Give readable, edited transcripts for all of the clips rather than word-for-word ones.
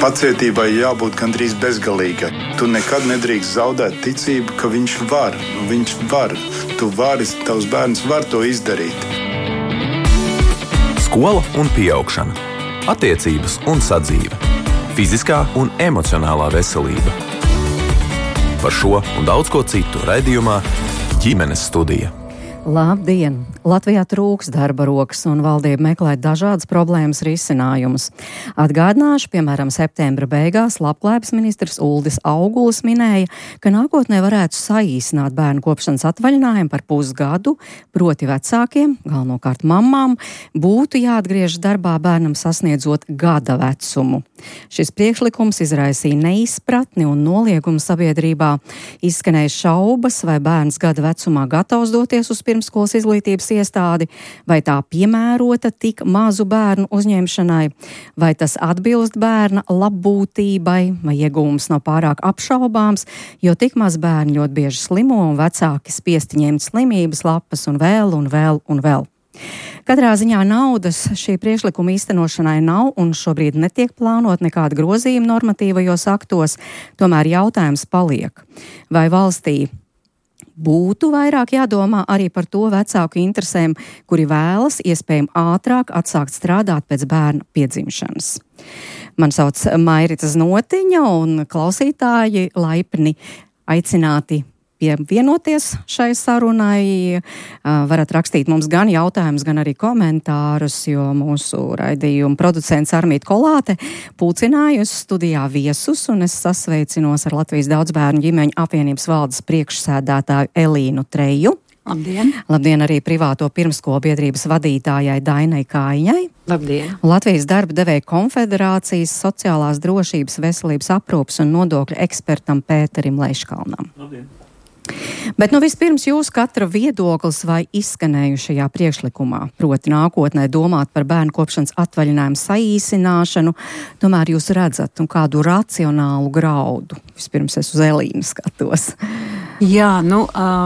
Pacietībai jābūt gandrīz bezgalīgai. Tu nekad nedrīkst zaudēt ticību, ka viņš var. Viņš var. Tu vari, tavs bērns var to izdarīt. Skola un pieaugšana. Attiecības un sadzīve. Fiziskā un emocionālā veselība. Par šo un daudz ko citu raidījumā Ģimenes studija. Labdien! Latvijā trūks darba rokas un valdība meklē dažādas problēmas risinājumus. Atgādināšu, piemēram, septembra beigās Labklājības ministrs Uldis Augulis minēja, ka nākotnē varētu saīsināt bērnu kopšanas atvaļinājumu par pusgadu, proti vecākiem, galvenokārt mammām, būtu jāatgriežas darbā bērnam sasniedzot gada vecumu. Šis priekšlikums izraisīja neizpratni un noliegumu sabiedrībā. Izskanēja šaubas, vai bērns gada vecumā gatavs doties uz pirmskolas izglītības iestādi, vai tā piemērota tik mazu bērnu uzņemšanai, vai tas atbilst bērna labbūtībai, vai iegūms nav pārāk apšaubāms, jo tik maz bērni ļoti bieži slimo un vecāki spiesti ņemt slimības lapas un vēl un vēl un vēl. Katrā ziņā naudas šī priekšlikuma īstenošanai nav un šobrīd netiek plānot nekāda grozījuma normatīvajos aktos, tomēr jautājums paliek. Vai valstī būtu vairāk jādomā arī par to vecāku interesēm, kuri vēlas iespējami ātrāk atsākt strādāt pēc bērna piedzimšanas? Man sauc Mairita Znotiņa un klausītāji laipni aicināti pievienoties šai sarunai. Varat rakstīt mums gan jautājumus, gan arī komentārus, jo mūsu raidījuma producents Armīta Kolāte pulcinājusi studijā viesus, un es sasveicinos ar Latvijas daudzbērnu ģimeņu apvienības valdes priekšsēdētāju Elīnu Treju. Labdien! Labdien arī privāto pirmskolu biedrības vadītājai Dainai Kājiņai. Labdien! Latvijas darba devēja konfederācijas sociālās drošības, veselības aprūpes un nodokļu ekspertam Pēterim Leiškalnam. Labdien! Bet vispirms jūs katra viedoklis vai izskanējušajā priekšlikumā, proti nākotnē domāt par bērnu kopšanas atvaļinājumu saīsināšanu, tomēr jūs redzat kādu racionālu graudu. Vispirms es uz Elīnu skatos. Jā,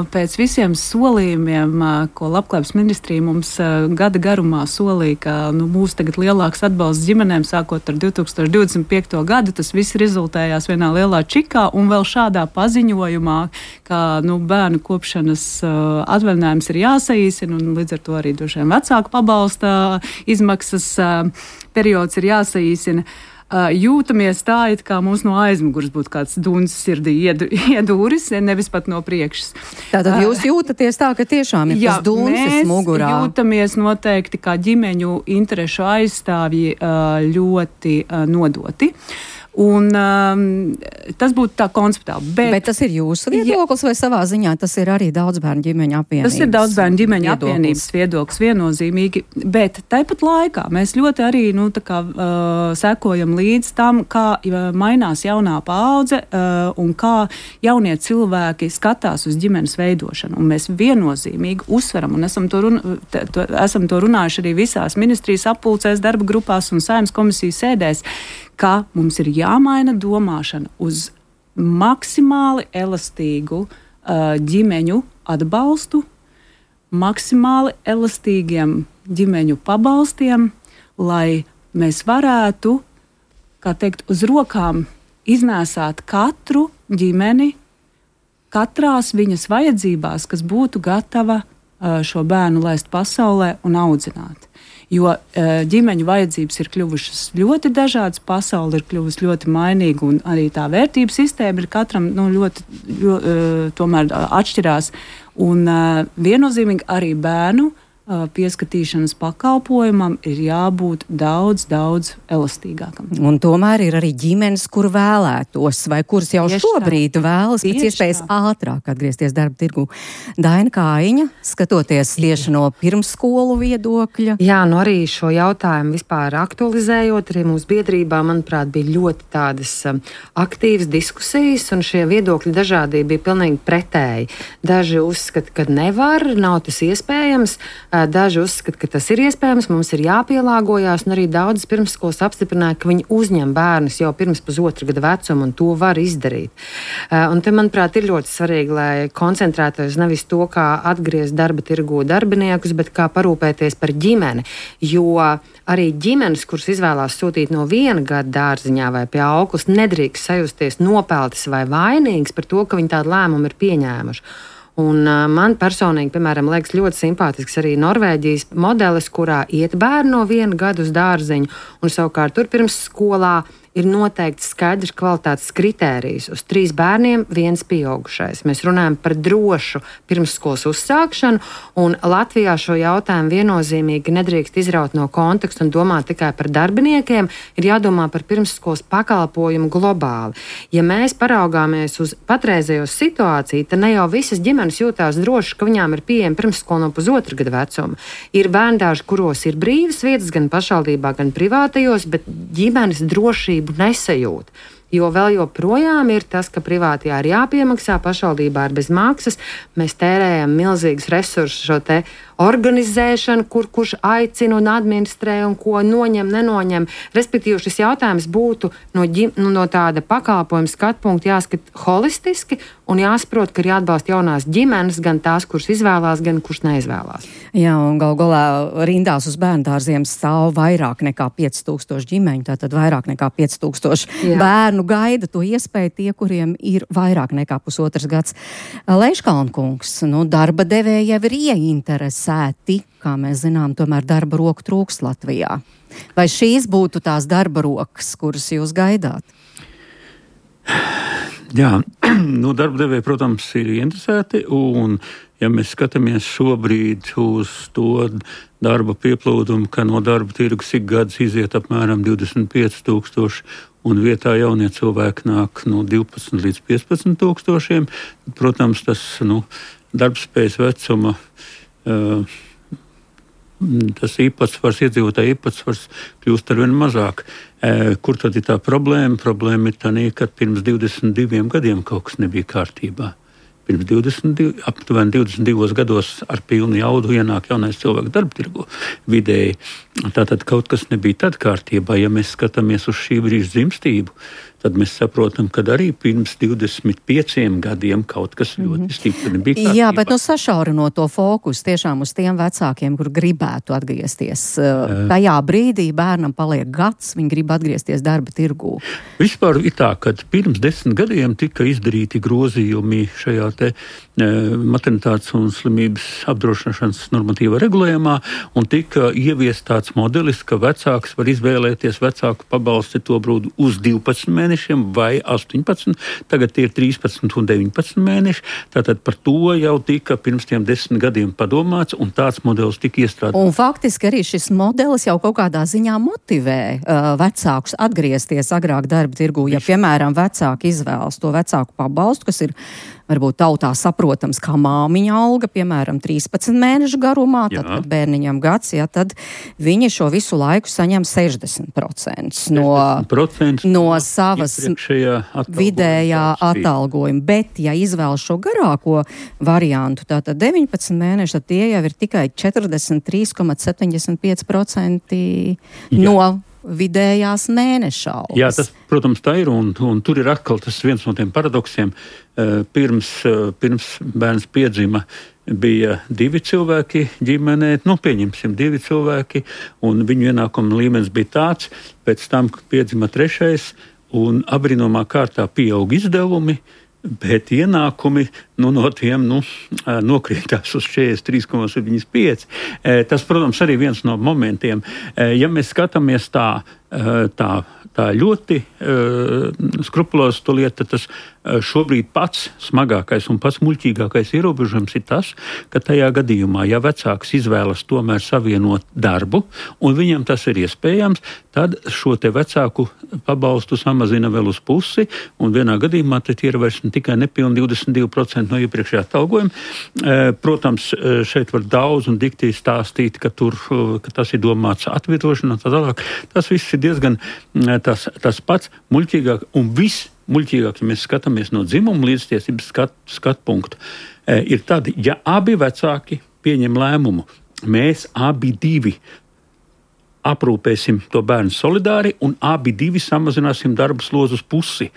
pēc visiem solījumiem, ko Labklājības ministrija mums gada garumā solīja, ka būs tagad lielāks atbalsts ģimenēm sākot ar 2025. gadu, tas viss rezultējās vienā lielā čikā un vēl šādā paziņojumā, ka bērnu kopšanas atvaļinājums ir jāsaīsina un līdz ar to arī droši vien vecāku pabalsta izmaksas periods ir jāsaīsina. Jūtamies tā, it kā mums no aizmugures būtu kāds duns sirdī iedūris, nevis pat no priekšas. Tātad jūs jūtaties tā, ka tiešām ir tas duns mugurā? Mēs jūtamies noteikti kā ģimeņu interešu aizstāvji ļoti nodoti. Un tas būtu tā konceptuāli. Bet tas ir jūsu viedoklis vai savā ziņā tas ir arī daudzbērnu ģimeņu apvienības? Tas ir daudzbērnu ģimeņu apvienības viedoklis viennozīmīgi, bet tāpat laikā mēs ļoti arī sekojam līdz tam, kā mainās jaunā paudze un kā jaunie cilvēki skatās uz ģimenes veidošanu. Un mēs viennozīmīgi uzsveram, un esam to runājuši arī visās ministrijas apulcēs, darba grupās un Saeimas komisijas sēdēs, ka mums ir jāmaina domāšana uz maksimāli elastīgu ģimeņu atbalstu, maksimāli elastīgiem ģimeņu pabalstiem, lai mēs varētu, uz rokām iznēsāt katru ģimeni, katrās viņas vajadzībās, kas būtu gatava šo bērnu laist pasaulē un audzināt. Jo ģimeņu vajadzības ir kļuvušas ļoti dažādas, pasaule ir kļuvusi ļoti mainīga un arī tā vērtību sistēma ir katram ļoti tomēr atšķirās. Un viennozīmīgi arī bērnu pieskatīšanas pakalpojumam ir jābūt daudz elastīgākam. Un tomēr ir arī ģimenes, kur vēlētos, vai kuras jau šobrīd vēlas pēc iespējas ātrāk atgriezties darba tirgu. Daina Kājiņa, skatoties tieši no pirmsskolu viedokļa. Jā, arī šo jautājumu vispār aktualizējot, arī mūsu biedrībā, manuprāt, bija ļoti tādas aktīvas diskusijas, un šie viedokļi dažādie bija pilnīgi pretēji. Daži uzskata, ka nevar, nav tas iespējams. Daži uzskata, ka tas ir iespējams, mums ir jāpielāgojās, un arī daudzas pirmsskolas apstiprināja, ka viņi uzņem bērnus jau pirms pusotra gada vecuma, un to var izdarīt. Un te, manuprāt, ir ļoti svarīgi, lai koncentrētos nevis to, kā atgriezt darba tirgū darbiniekus, bet kā parūpēties par ģimeni, jo arī ģimenes, kuras izvēlās sūtīt no 1 gada dārziņā vai pie auklas, nedrīkst sajusties nopeltas vai vainīgas par to, ka viņi tādu lēmumu ir pieņēmuši. Un man personīgi, piemēram, liekas ļoti simpātisks arī Norvēģijas modelis, kurā iet bērni no 1 gada uz dārziņu, un savukārt tur pirms skolā ir noteikts skaidrs kvalitātes kritērijs uz 3 bērniem, 1 pieaugušais. Mēs runājam par drošu pirmsskolas uzsākšanu, un Latvijā šo jautājumu viennozīmīgi nedrīkst izraut no konteksta un domāt tikai par darbiniekiem, ir jādomā par pirmsskolas pakalpojumu globāli. Ja mēs paraugāmies uz patreizējo situāciju, tad ne jau visas ģimenes jūtās droši, ka viņām ir pieejama pirmsskola no pusotra gada vecuma. Ir bērndārži, kuros ir brīvas vietas gan pašvaldībā, gan privātajos, bet ģimenes drošību nesajūt. Jo vēl joprojām ir tas, ka privātajā ir jāpiemaksā, pašvaldībā ir bez maksas. Mēs tērējam milzīgus resursus šo te organizēšanu, kurš aicina un administrē un ko noņem, nenoņem. Respektīvi, šis jautājums būtu no tāda pakalpojuma skatu punkta jāskat holistiski un jāsaprot, ka ir jāatbalsta jaunās ģimenes, gan tās, kuras izvēlās, gan kuras neizvēlās. Jā, un gal galā rindās uz bērndārziem stāv vairāk nekā 5000 ģimeņu, tātad vairāk nekā 5000 bērnu gaida to iespēju tie, kuriem ir vairāk nekā pusotrs gads. Leiškalnkungs, darba devēji jau ir ieinteresēti, kā mēs zinām, tomēr darba roku trūks Latvijā. Vai šīs būtu tās darba rokas, kuras jūs gaidāt? Jā, darba devēji, protams, ir interesēti, un ja mēs skatāmies šobrīd uz to darba pieplūdumu, ka no darba tirgus ik gads iziet apmēram 25,000, un vietā jaunie cilvēki nāk no 12 līdz 15,000, protams, tas darbspējas vecuma tas īpatsvars, iedzīvotāju īpatsvars kļūst arvien mazāk. Kur tad ir tā problēma? Problēma ir tā, ka pirms 22 gadiem kaut kas nebija kārtībā. Pirms aptuveni 22 gados ar pilnu jaudu ienāk jaunais cilvēks darba tirgu vidēji. Tātad kaut kas nebija tad kārtībā. Ja mēs skatāmies uz šī brīža dzimstību, tad mēs saprotam, ka arī pirms 25 gadiem kaut kas ļoti stipri nebija kārtībā. Jā, bet sašaurinot to fokusu tiešām uz tiem vecākiem, kur gribētu atgriezties. Tajā brīdī bērnam paliek gads, viņi grib atgriezties darba tirgū. Vispār ir tā, ka pirms 10 gadiem tika izdarīti grozījumi šajā te maternitātes un slimības apdrošināšanas normatīva regulējumā, un tika ieviest tāds modelis, ka vecāks var izvēlēties vecāku pabalsti to brīdi uz 12 mēnešiem vai 18, tagad ir 13 un 19 mēneši, tātad par to jau tika pirms tiem 10 gadiem padomāts, un tāds modelis tika iestrādāts. Un faktiski arī šis modelis jau kaut kādā ziņā motivē vecākus atgriezties agrāk darba tirgū, ja, piemēram, vecāki izvēlas to vecāku pabalstu, kas ir varbūt tautā saprotams kā māmiņa alga, piemēram, 13 mēnešu garumā, tad, kad bērniņam gads, tad viņi šo visu laiku saņem 60% no savas vidējā atalgojuma. Bet, ja izvēlas šo garāko variantu, tātad 19 mēneši, tad tie jau ir tikai 43,75% no vidējās mēneša algas. Jā, tas, protams, tā ir, un tur ir atkal tas viens no tiem paradoksiem. Pirms bērns piedzima, bija 2 cilvēki ģimenē, pieņemsim 2 cilvēki, un viņu ienākuma līmenis bija tāds, pēc tam piedzima 3, un abrinomā kārtā pieaug izdevumi, bet ienākumi no tiem nokrītās uz 43,75. Tas, protams, arī viens no momentiem. Ja mēs skatāmies tā ļoti skrupulozi to lietu, tas šobrīd pats smagākais un pats muļķīgākais ierobežojums ir tas, ka tajā gadījumā, ja vecāks izvēlas tomēr savienot darbu, un viņam tas ir iespējams, tad šo te vecāku pabalstu samazina vēl uz pusi, un vienā gadījumā tad ir vairs tikai nepilni 22% no iepriekšējā atalgojuma. Protams, šeit var daudz un dikti stāstīt, ka tas ir domāts atvietošana un tā tālāk. Tas viss ir diezgan tas pats muļķīgāk un viss muļķīgāk, ja mēs skatāmies no dzimuma līdztiesības skatu punktu, ir tad, ja abi vecāki pieņem lēmumu mēs abi divi aprūpēsim to bērnu solidāri un abi divi samazināsim darba slogu uz pusi.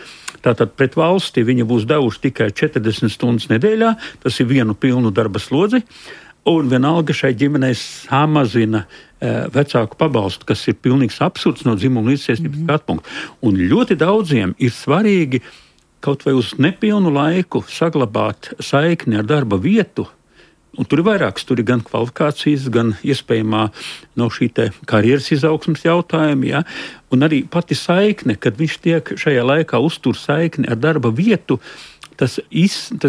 Tātad pret valsti viņa būs devuši tikai 40 stundas nedēļā, tas ir vienu pilnu darba slodzi, un vienalga šai ģimenei samazina vecāku pabalstu, kas ir pilnīgs absurds no dzimuma līdztiesības skatu punkta. Un ļoti daudziem ir svarīgi kaut vai uz nepilnu laiku saglabāt saikni ar darba vietu. Un tur ir vairākas, tur ir gan kvalifikācijas, gan iespējamā no šī te karjeras izaugsmas jautājumi, ja? Un arī pati saikne, kad viņš tiek šajā laikā uztur saikni ar darba vietu, tas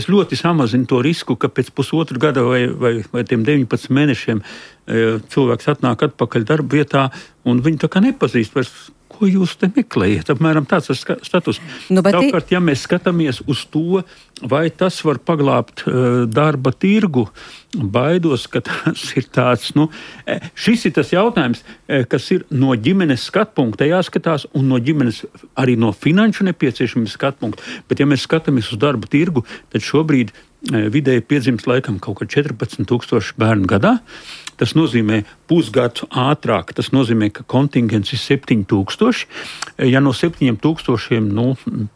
ļoti samazina to risku, ka pēc pusotru gada vai tiem 19 mēnešiem cilvēks atnāk atpakaļ darba vietā un viņu tā kā nepazīst vairs. Ko jūs te meklējat? Apmēram tāds status. Savukārt, ja mēs skatāmies uz to, vai tas var paglābt darba tirgu, baidos, ka tas ir tāds, šis ir tas jautājums, kas ir no ģimenes skatpunkta jāskatās un no ģimenes arī no finanšu nepieciešamības skatpunkta. Bet ja mēs skatāmies uz darba tirgu, tad šobrīd vidēji piedzimst laikam kaut kā 14,000 bērnu gadā. Tas nozīmē pusgadu ātrāk, tas nozīmē, ka kontingents ir 7,000. Ja no 7,000,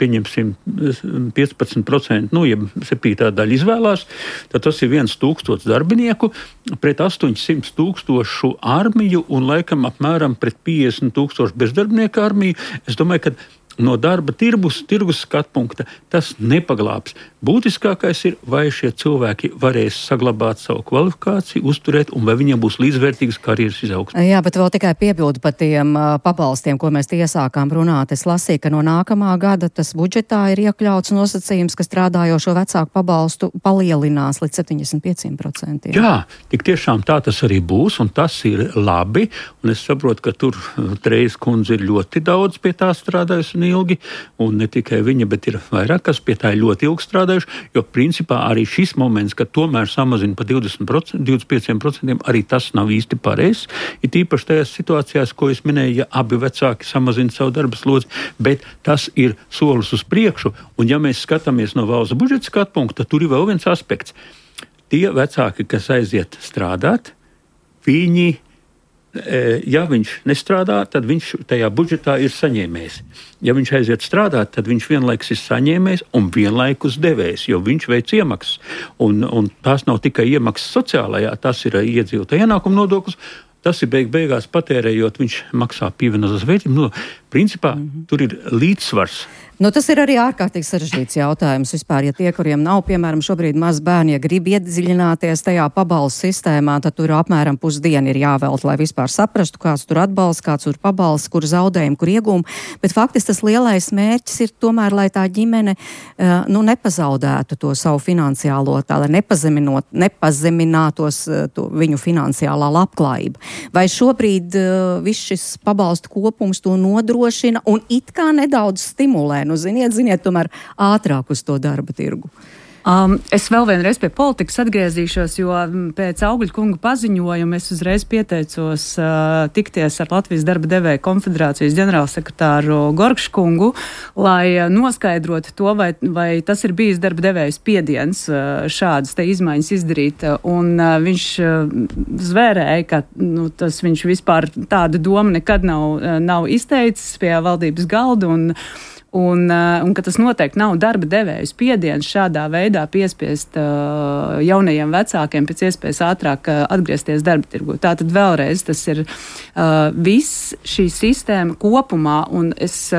pieņemsim 15%, ja 7. daļa izvēlās, tad tas ir 1,000 darbinieku pret 800,000 armiju un laikam apmēram pret 50,000 bezdarbnieku armiju. Es domāju, ka no darba tirgus skatpunkta tas nepaglābs. Būtiskākais ir, vai šie cilvēki varēs saglabāt savu kvalifikāciju, uzturēt, un vai viņiem būs līdzvērtīgas karjeras izaugsme. Jā, bet vēl tikai piebildu par tiem pabalstiem, ko mēs iesākām runāt. Es lasīju, ka no nākamā gada tas budžetā ir iekļauts nosacījums, ka strādājošo vecāku pabalstu palielinās līdz 75%. Jā, tik tiešām tā tas arī būs, un tas ir labi, un es saprotu, ka tur Trejas kundze ir ļoti daudz pie tā strādājusi un ilgi, un ne tikai viņa, bet ir vairāk, kas pie tā ir ļoti ilgi strādājuši, jo principā arī šis moments, ka tomēr samazina pa 20%, 25%, arī tas nav īsti pareizs. Ir tīpaši tajās situācijās, ko es minēju, ja abi vecāki samazina savu darba slodzi, bet tas ir solis uz priekšu, un ja mēs skatāmies no valsts budžeta skatu punkta, tad tur ir vēl viens aspekts. Tie vecāki, kas aiziet strādāt, viņi ja viņš nestrādā, tad viņš tajā budžetā ir saņēmējs. Ja viņš aiziet strādāt, tad viņš vienlaikus ir saņēmējs un vienlaikus devējs, jo viņš veic iemaksas. Un tās nav tikai iemaksas sociālajā, tas ir iedzīvotāja ienākuma nodoklis. Tas ir beigās patērējot, viņš maksā pievienotās vērtības. Principā tur ir līdzsvars. Tas ir arī ārkārtīgi sarežģīts jautājums vispār. Ja tie, kuriem nav, piemēram, šobrīd maz bērni, ja grib iedziļināties tajā pabalstu sistēmā, tad tur apmēram pusdiena ir jāvelt, lai vispār saprastu, kāds tur atbalsts, kāds tur pabalsts, kur zaudējumi, kur iegūmi. Bet faktiski tas lielais mērķis ir tomēr, lai tā ģimene nepazaudētu to savu finansiālo, lai nepazeminātos viņu finansiālā labklājība. Vai šobrīd viss šis pabalstu kopums to nodrošina un it kā nedaudz stimulē? Ziniet, tomēr ātrāk uz to darba tirgu. Es vēl vienreiz pie politikas atgriezīšos, jo pēc Augļa kunga paziņojuma es uzreiz pieteicos tikties ar Latvijas darba devēju konfederācijas ģenerālsekretāru Gorkšu kungu, lai noskaidrotu to, vai tas ir bijis darba devēju spiediens šādas te izmaiņas izdarīt. Un viņš zvērēja, ka viņš vispār tādu domu nekad nav izteicis pie valdības galda un ka tas noteikti nav darba devēju spiediens šādā veidā piespiest jaunajiem vecākiem pēc iespējas ātrāk atgriezties darba tirgu. Tātad vēlreiz tas ir viss šī sistēma kopumā, un es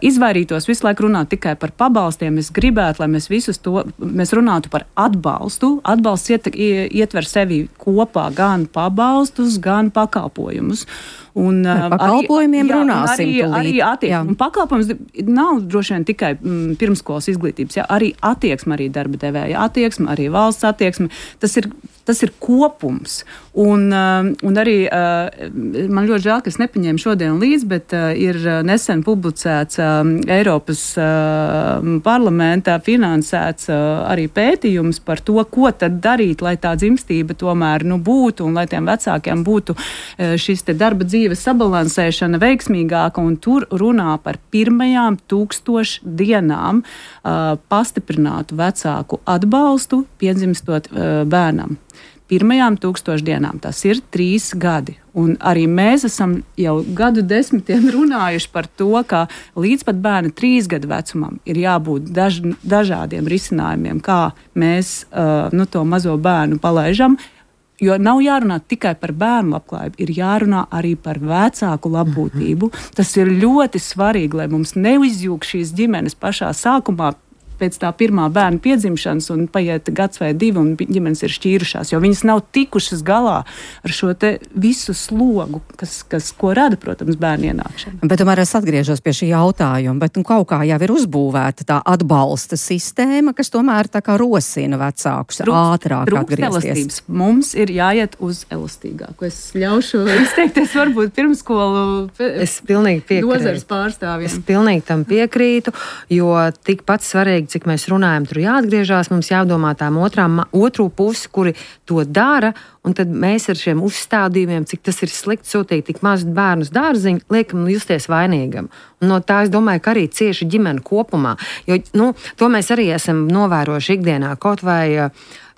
izvairītos visu laiku runāt tikai par pabalstiem. Es gribētu, lai mēs runātu par atbalstu. Atbalsts ietver sevi kopā gan pabalstus, gan pakalpojumus. Un pakalpojumiem runāsim arī attieksme. Pakalpojums nav droši vien tikai pirmskolas izglītības, arī attieksme, arī darba devēja attieksme, arī valsts attieksme. Tas ir kopums. Un arī man ļoti žēl, ka es nepaņēmu šodien līdzi, bet ir nesen publicēts Eiropas parlamentā finansēts arī pētījums par to, ko tad darīt, lai tā dzimstība tomēr būtu un lai tiem vecākiem būtu šis te darba dzīves sabalansēšana veiksmīgāka, un tur runā par 1000 dienām pastiprinātu vecāku atbalstu piedzimstot bērnam. pirmajām 1000 dienām. Tas ir 3 gadi. Un arī mēs esam jau gadu desmitiem runājuši par to, ka līdz pat bērna 3 gadu vecumam ir jābūt dažādiem risinājumiem, kā mēs to mazo bērnu palaižam. Jo nav jārunā tikai par bērnu labklājību, ir jārunā arī par vecāku labbūtību. Tas ir ļoti svarīgi, lai mums neizjūg šīs ģimenes pašā sākumā, pēc tā pirmā bērna piedzimšanas un paiet gads vai 2 un ģimenes ir šķīrušās, jo viņas nav tikušas galā ar šo te visu slogu, ko rada, protams, bērnu ienākšana. Bet tomēr es atgriežos pie šī jautājuma, bet kaut kā jau ir uzbūvēta tā atbalsta sistēma, kas tomēr tā kā rosina vecākus ātrāk atgriezties. Mums ir jāiet uz elastīgāku. Es ļaušu izteikties varbūt pirmskolu nozares pārstāvjiem. Es pilnīgi tam piekrītu, jo tikpat svarīgi, cik mēs runājam, tur jāatgriežās, mums jādomā tām otru pusi, kuri to dara, un tad mēs ar šiem uzstādījumiem, cik tas ir slikti sūtīt tik mazus bērnus dārziņu, liekam justies vainīgam. Un no tā es domāju, ka arī cieši ģimene kopumā, jo to mēs arī esam novērojuši ikdienā, kaut vai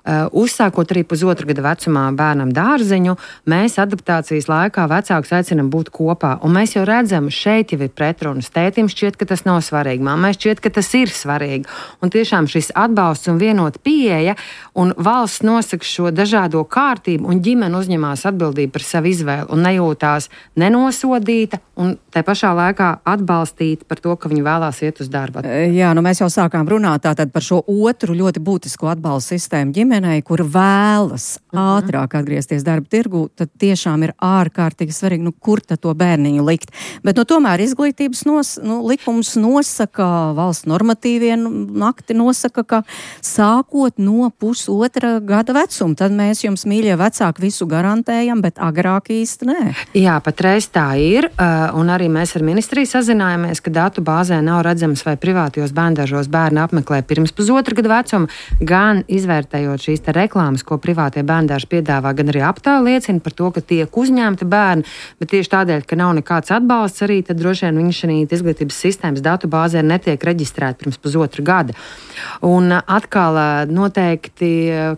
uzsākot arī 1,5 gada vecumā bērnam dārziņu, mēs adaptācijas laikā vecākus aicinam būt kopā. Un mēs jau redzam, šeit jau ir pretrunas. Tētim šķiet, ka tas nav svarīgi, mammai šķiet, ka tas ir svarīgi. Un tiešām šis atbalsts un vienota pieeja, un valsts nosaka šo dažādo kārtību, un ģimene uzņemās atbildību par savu izvēli un nejūtās nenosodīta, un tai pašā laikā atbalstīt par to, ka viņi vēlās iet uz darbu. Jā, mēs jau sākām runāt tātad par šo otru ļoti būtisko atbalstu sistēmu ģimenei, kur vēlas ātrāk atgriezties darba tirgu, tad tiešām ir ārkārtīgi svarīgi, kur tad to bērniņu likt. Bet tomēr izglītības likums nosaka, valsts normatīvie akti nosaka, ka sākot no 1,5 gada vecuma, tad mēs jums, mīļie vecāki, visu garantējam, bet agrāk īsti nē. Jā, patreiz tā ir, un arī mēs ar ministriju sazinājāmies, ka datu bāzē nav redzams, vai privātajos bērndažos bērni apmeklē pirms 1,5 gada vecuma, gan izvērtējot šīs te reklāmas, ko privātie bērndārži piedāvā, gan arī aptāja liecina par to, ka tiek uzņemti bērni, bet tieši tādēļ, ka nav nekāds atbalsts arī, tad droši vien viņi šī izglītības sistēmas datu bāzē netiek reģistrēti pirms 1,5 gada. Un atkal noteikti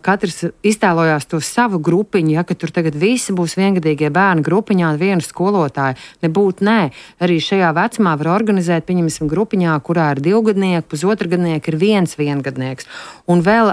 katrs iztēlojās to savu grupiņu, ja, ka tur tagad visi būs viengadīgie bērni grupiņā un vienu skolotāju. Nebūt nē. Arī šajā vecumā var organizēt, pieņemsim, grupiņā, kurā ir 2 gadnieki, 1,5 gadnieki, ir 1 viengadnieks. Un vēl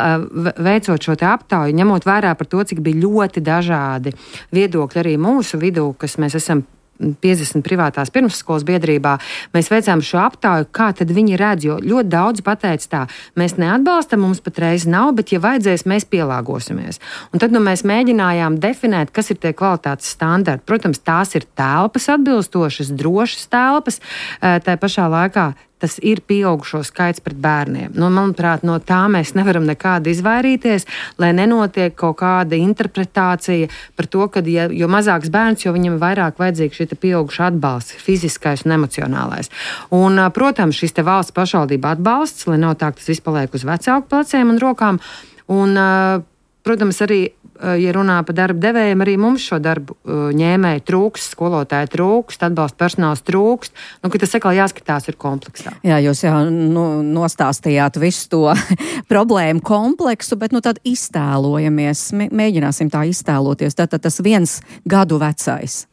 veicot šo te aptauju, ņemot vērā par to, cik bija ļoti dažādi viedokļi arī mūsu vidū, kas mēs esam 50 privātās pirmsskolas biedrībā, mēs veicām šo aptauju, kā tad viņi redz, jo ļoti daudz pateica tā, mēs neatbalstam, mums patreiz nav, bet ja vajadzēs, mēs pielāgosimies. Un tad mēs mēģinājām definēt, kas ir tie kvalitātes standarti. Protams, tās ir telpas atbilstošas, drošas telpas, tā pašā laikā tas ir pieaugušo skaits pret bērniem. Manuprāt, no tā mēs nevaram nekādi izvairīties, lai nenotiek kaut kāda interpretācija par to, ka jo mazāks bērns, jo viņam vairāk vajadzīgs šī pieauguša atbalsts, fiziskais un emocionālais. Un, protams, šis te valsts pašvaldība atbalsts, lai nav tā, ka tas viss paliek uz vecāku pleciem un rokām. Un, protams, arī ja runā par darba devējiem, arī mums šo darbu ņēmēju trūkst, skolotāju trūkst, atbalsta personāls trūkst, ka tas atkal jāskatās ir kompleksā. Jā, jūs jau nostāstījāt visu to problēmu kompleksu, bet tad iztēlojamies, mēģināsim tā iztēloties. Tātad tas 1 gadu vecais.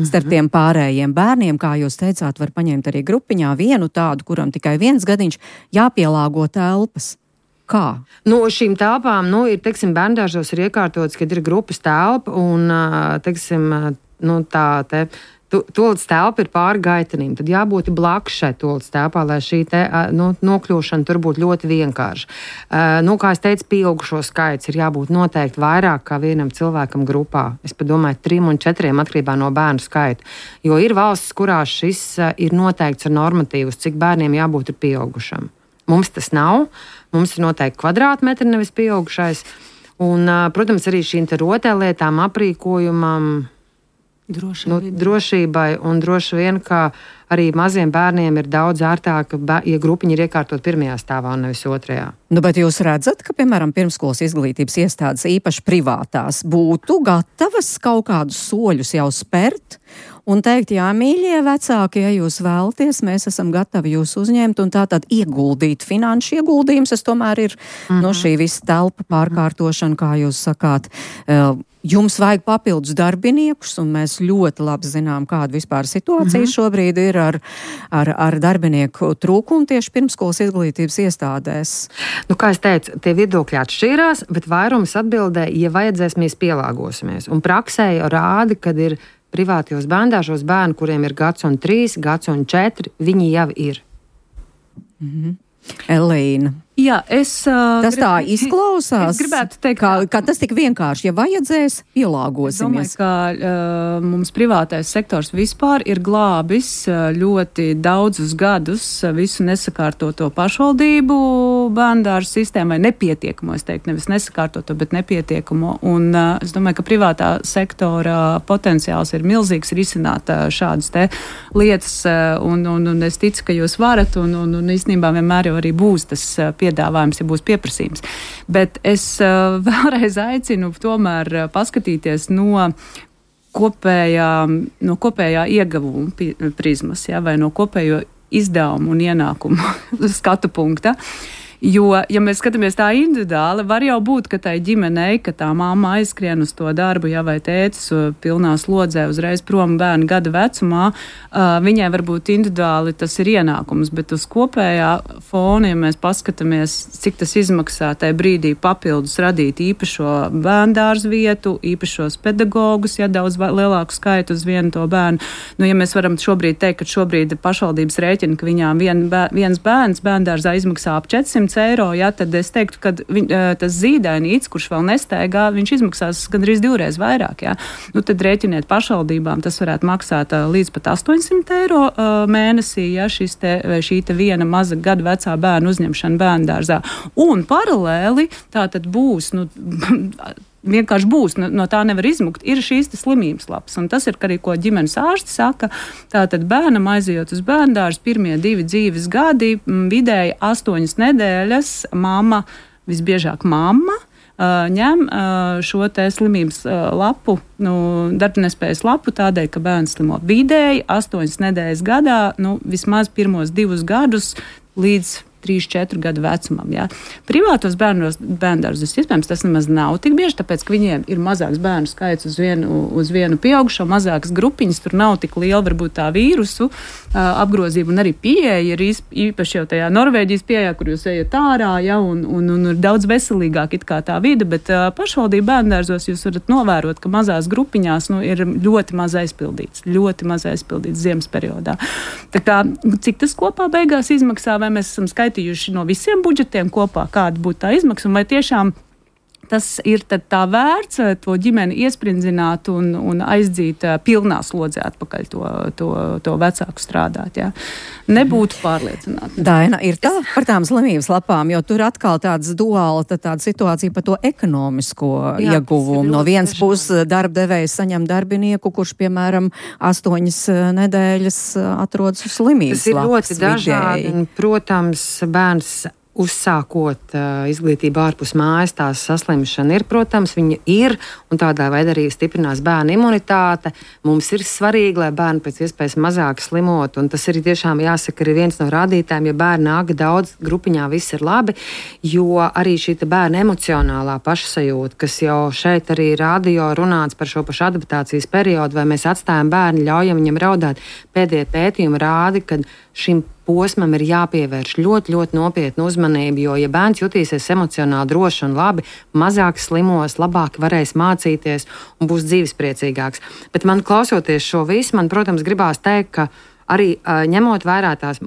Starp tiem pārējiem bērniem, kā jūs teicāt, var paņemt arī grupiņā vienu tādu, kuram tikai 1 gadiņš, jāpielāgo telpas. Kā? Šīm telpām, ir, bērndārzos ir iekārtots, kad ir grupas telpa un, toaletes telpa ir pāri gaitenim. Tad jābūt blakus šai toaletes telpā, lai šī nokļūšana tur būtu ļoti vienkārša. Kā es teicu, pieaugušo skaits ir jābūt noteikti vairāk kā vienam cilvēkam grupā. Es padomāju 3 un 4 atkarībā no bērnu skaita. Jo ir valstis, kurās šis ir noteikts ar normatīvus, cik bērniem jābūt ir pieaugušam. Mums tas nav. Mums ir noteikti kvadrātmetri, nevis pieaugušais. Un, protams, arī šīm rotaļlietām, aprīkojumam, drošībai un droši vien, ka arī maziem bērniem ir daudz ērtāk, ja grupiņi ir iekārtot 1. stāvā un nevis 2. Bet jūs redzat, ka, piemēram, pirmskolas izglītības iestādes, īpaši privātās, būtu gatavas kaut kādus soļus jau spērt un teikt, jā, mīļie vecāki, ja jūs vēlaties, mēs esam gatavi jūs uzņemt un tātad ieguldīt finanšu ieguldījums, tas tomēr ir no šī visa telpa pārkārtošana, kā jūs sakāt. Jums vajag papildus darbiniekus, un mēs ļoti labi zinām, kāda vispār situācija šobrīd ir ar darbinieku trūkumu tieši pirmskolas izglītības iestādēs. Nu, kā es teicu, tie viedokļi atšķīrās, bet vairums atbildē, ja vajadzēs, mēs pielāgosimies. Un praksē jau rāda, kad ir privātajos bērndārzos bērni, kuriem ir 1 un 3, 1 un 4, viņi jau ir. Elīna. Jā, tas tā izklausās, es gribētu teikt, ka tas tik vienkārši, ja vajadzēs, pielāgosimies. Es domāju, ka mums privātais sektors vispār ir glābis ļoti daudzus gadus visu nesakārtoto pašvaldību bērndārzu sistēmu, vai nepietiekamo, es teiktu, nevis nesakārtoto, bet nepietiekamo. Un es domāju, ka privātā sektora potenciāls ir milzīgs risināt šādas te lietas, un es ticu, ka jūs varat, un īstenībā vienmēr jau arī būs tas piedāvājums, ja būs pieprasījums. Bet es vēlreiz aicinu tomēr paskatīties no kopējā ieguvuma prizmas, ja, vai no kopējo izdevumu un ienākumu skatu punkta. Jo, ja mēs skatāmies tā individuāli, var jau būt, ka tai ģimenei, ka tā mamma aizskrien uz to darbu, ja vai tētis pilnā slodzē uzreiz prom bērnu gada vecumā, viņai varbūt individuāli tas ir ienākums, bet uz kopējā fona, ja mēs paskatāmies, cik tas izmaksā tajā brīdī papildus radīt īpašo bērndārzu vietu, īpašos pedagogus, ja daudz lielāku skaitu uz vienu to bērnu. Nu, ja mēs varam šobrīd teikt, ka šobrīd pašvaldības rēķina, ka viņām viens bērns bērndārzā izmaksā ap 400 eiro, ja, tad es teiktu, ka tas zīdainīts, kurš vēl nestaigā, viņš izmaksās gandrīz 2 vairāk. Ja. Nu, tad rēķiniet pašvaldībām, tas varētu maksāt līdz pat 800 eiro mēnesī, ja, šī te viena maza gadu vecā bērna uzņemšana bērndārzā. Un paralēli tā tad būs, vienkārši būs, no tā nevar izmukt, ir šīs slimības lapas. Un tas ir arī, ko ģimenes ārsti saka. Tātad bērnam aizejot uz bērndārzu pirmie 2 dzīves gadi, vidēji 8 nedēļas, mamma, visbiežāk mamma, ņem šo te slimības lapu, darbnespējas lapu tādēļ, ka bērns slimo vidēji 8 nedēļas gadā, vismaz pirmos 2 gadus līdz 3-4 gadu vecumam. Jā. Privātos bērndārzus, iespējams, tas nemaz nav tik bieži, tāpēc, ka viņiem ir mazāks bērnu skaits uz vienu pieaugušo, mazākas grupiņas, tur nav tik liela varbūt tā vīrusu apgrozība, un arī pieeja ir īpaši jau tajā Norvēģijas pieejā, kur jūs ejat ārā, ja, un ir daudz veselīgāk it kā tā vide, bet pašvaldību bērndārzos jūs varat novērot, ka mazās grupiņās ir ļoti maz aizpildīts ziemas periodā. Tā kā, cik tas kopā beigās izmaksā, vai mēs esam skaitījuši no visiem budžetiem kopā, kāda būtu tā izmaksa, un vai tiešām tas ir tad tā vērts to ģimeni iesprindzināt un aizdzīt pilnā slodzē atpakaļ to vecāku strādāt. Jā. Nebūtu pārliecināti. Daina, ir tā par tām slimības lapām, jo tur atkal tāds duāla tāda situācija par to ekonomisko ieguvumu. No vienas puses darbdevējs saņem darbinieku, kurš, piemēram, 8 nedēļas atrodas uz slimības lapas. Tas ir ļoti dažādi. Protams, bērns uzsākot izglītību ārpus mājas, tās saslimšana ir, protams, viņa ir, un tādā veidā arī stiprinās bērnu imunitāte. Mums ir svarīgi, lai bērni pēc iespējas mazāk slimot, un tas arī tiešām jāsaka, ir viens no rādītājiem, ja bērni nāk daudz, grupiņā viss ir labi, jo arī šī bērna emocionālā pašsajūta, kas jau šeit arī radio runāts par šo pašu adaptācijas periodu, vai mēs atstājam bērnu, ļaujam viņam raudāt, pēdējie pētījumi rāda, ka šim posmam ir jāpievērš ļoti, ļoti nopietnu uzmanību, jo, ja bērns jutīsies emocionāli droši un labi, mazāk slimos, labāk varēs mācīties un būs dzīvespriecīgāks. Bet man klausoties šo visu, man, protams, gribās teikt, ka arī ņemot vērā tās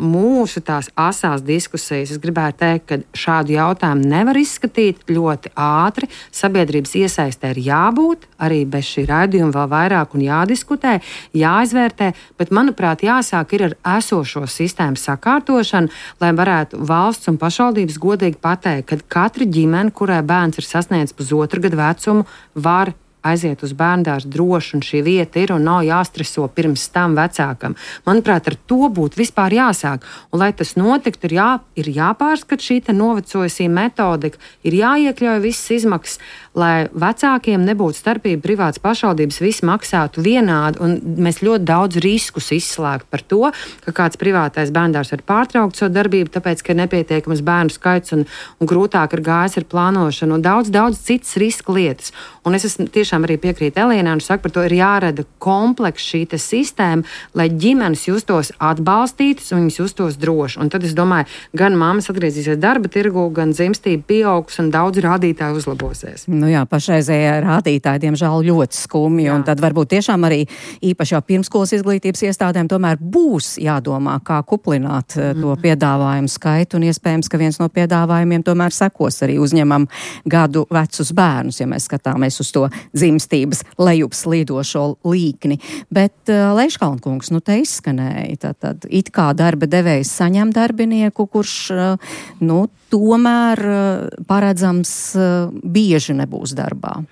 asās diskusijas, es gribētu teikt, ka šādu jautājumu nevar izskatīt ļoti ātri. Sabiedrības iesaistē ir jābūt, arī bez šī raidījuma vēl vairāk un jādiskutē, jāizvērtē, bet, manuprāt, jāsāk ir ar esošo sistēmu sakārtošanu, lai varētu valsts un pašvaldības godīgi pateikt, ka katra ģimene, kurai bērns ir sasniedzis 1,5 gadu vecumu, var aiziet uz bērndārzu droši, un šī vieta ir, un nav jāstreso pirms tam vecākam. Manuprāt, ar to būtu vispār jāsāk. Un, lai tas notiktu, ir jāpārskat šī novecojusī metodika, ir jāiekļauj visas izmaksas, lai vecākiem nebūtu starpība, privātas pašvaldības viss maksātu vienādi, un mēs ļoti daudz riskus izslēgtu par to, ka kāds privātais bērndārs var pārtraukt savu darbību, tāpēc, ka ir nepietiekams bērnu skaits un grūtāk ir gājis ar plānošanu un daudz citas riska lietas. Un es tiešām arī piekrītu Elīnai un saku, par to ir jārada komplekss šī sistēma, lai ģimenes justos atbalstītas un viņas justos droši. Un tad es domāju, gan mammas atgriezīsies darba tirgu, gan dzimstība pieaugs un daudz rādītāju uzlabosies. Nu jā, pašreizējā rādītāji, diemžēl, ļoti skumji, un tad varbūt tiešām arī īpaši jau pirmskolas izglītības iestādēm tomēr būs jādomā, kā kuplināt to piedāvājumu skaitu, un iespējams, ka viens no piedāvājumiem tomēr sekos arī uzņemam gadu vecus bērnus, ja mēs skatāmies uz to dzimstības lejupslīdošo līkni. Bet Leiškalnkungs, te izskanēja, tad it kā darba devējs saņem darbinieku, kurš, tomēr paredzams bieži nebūs darbā.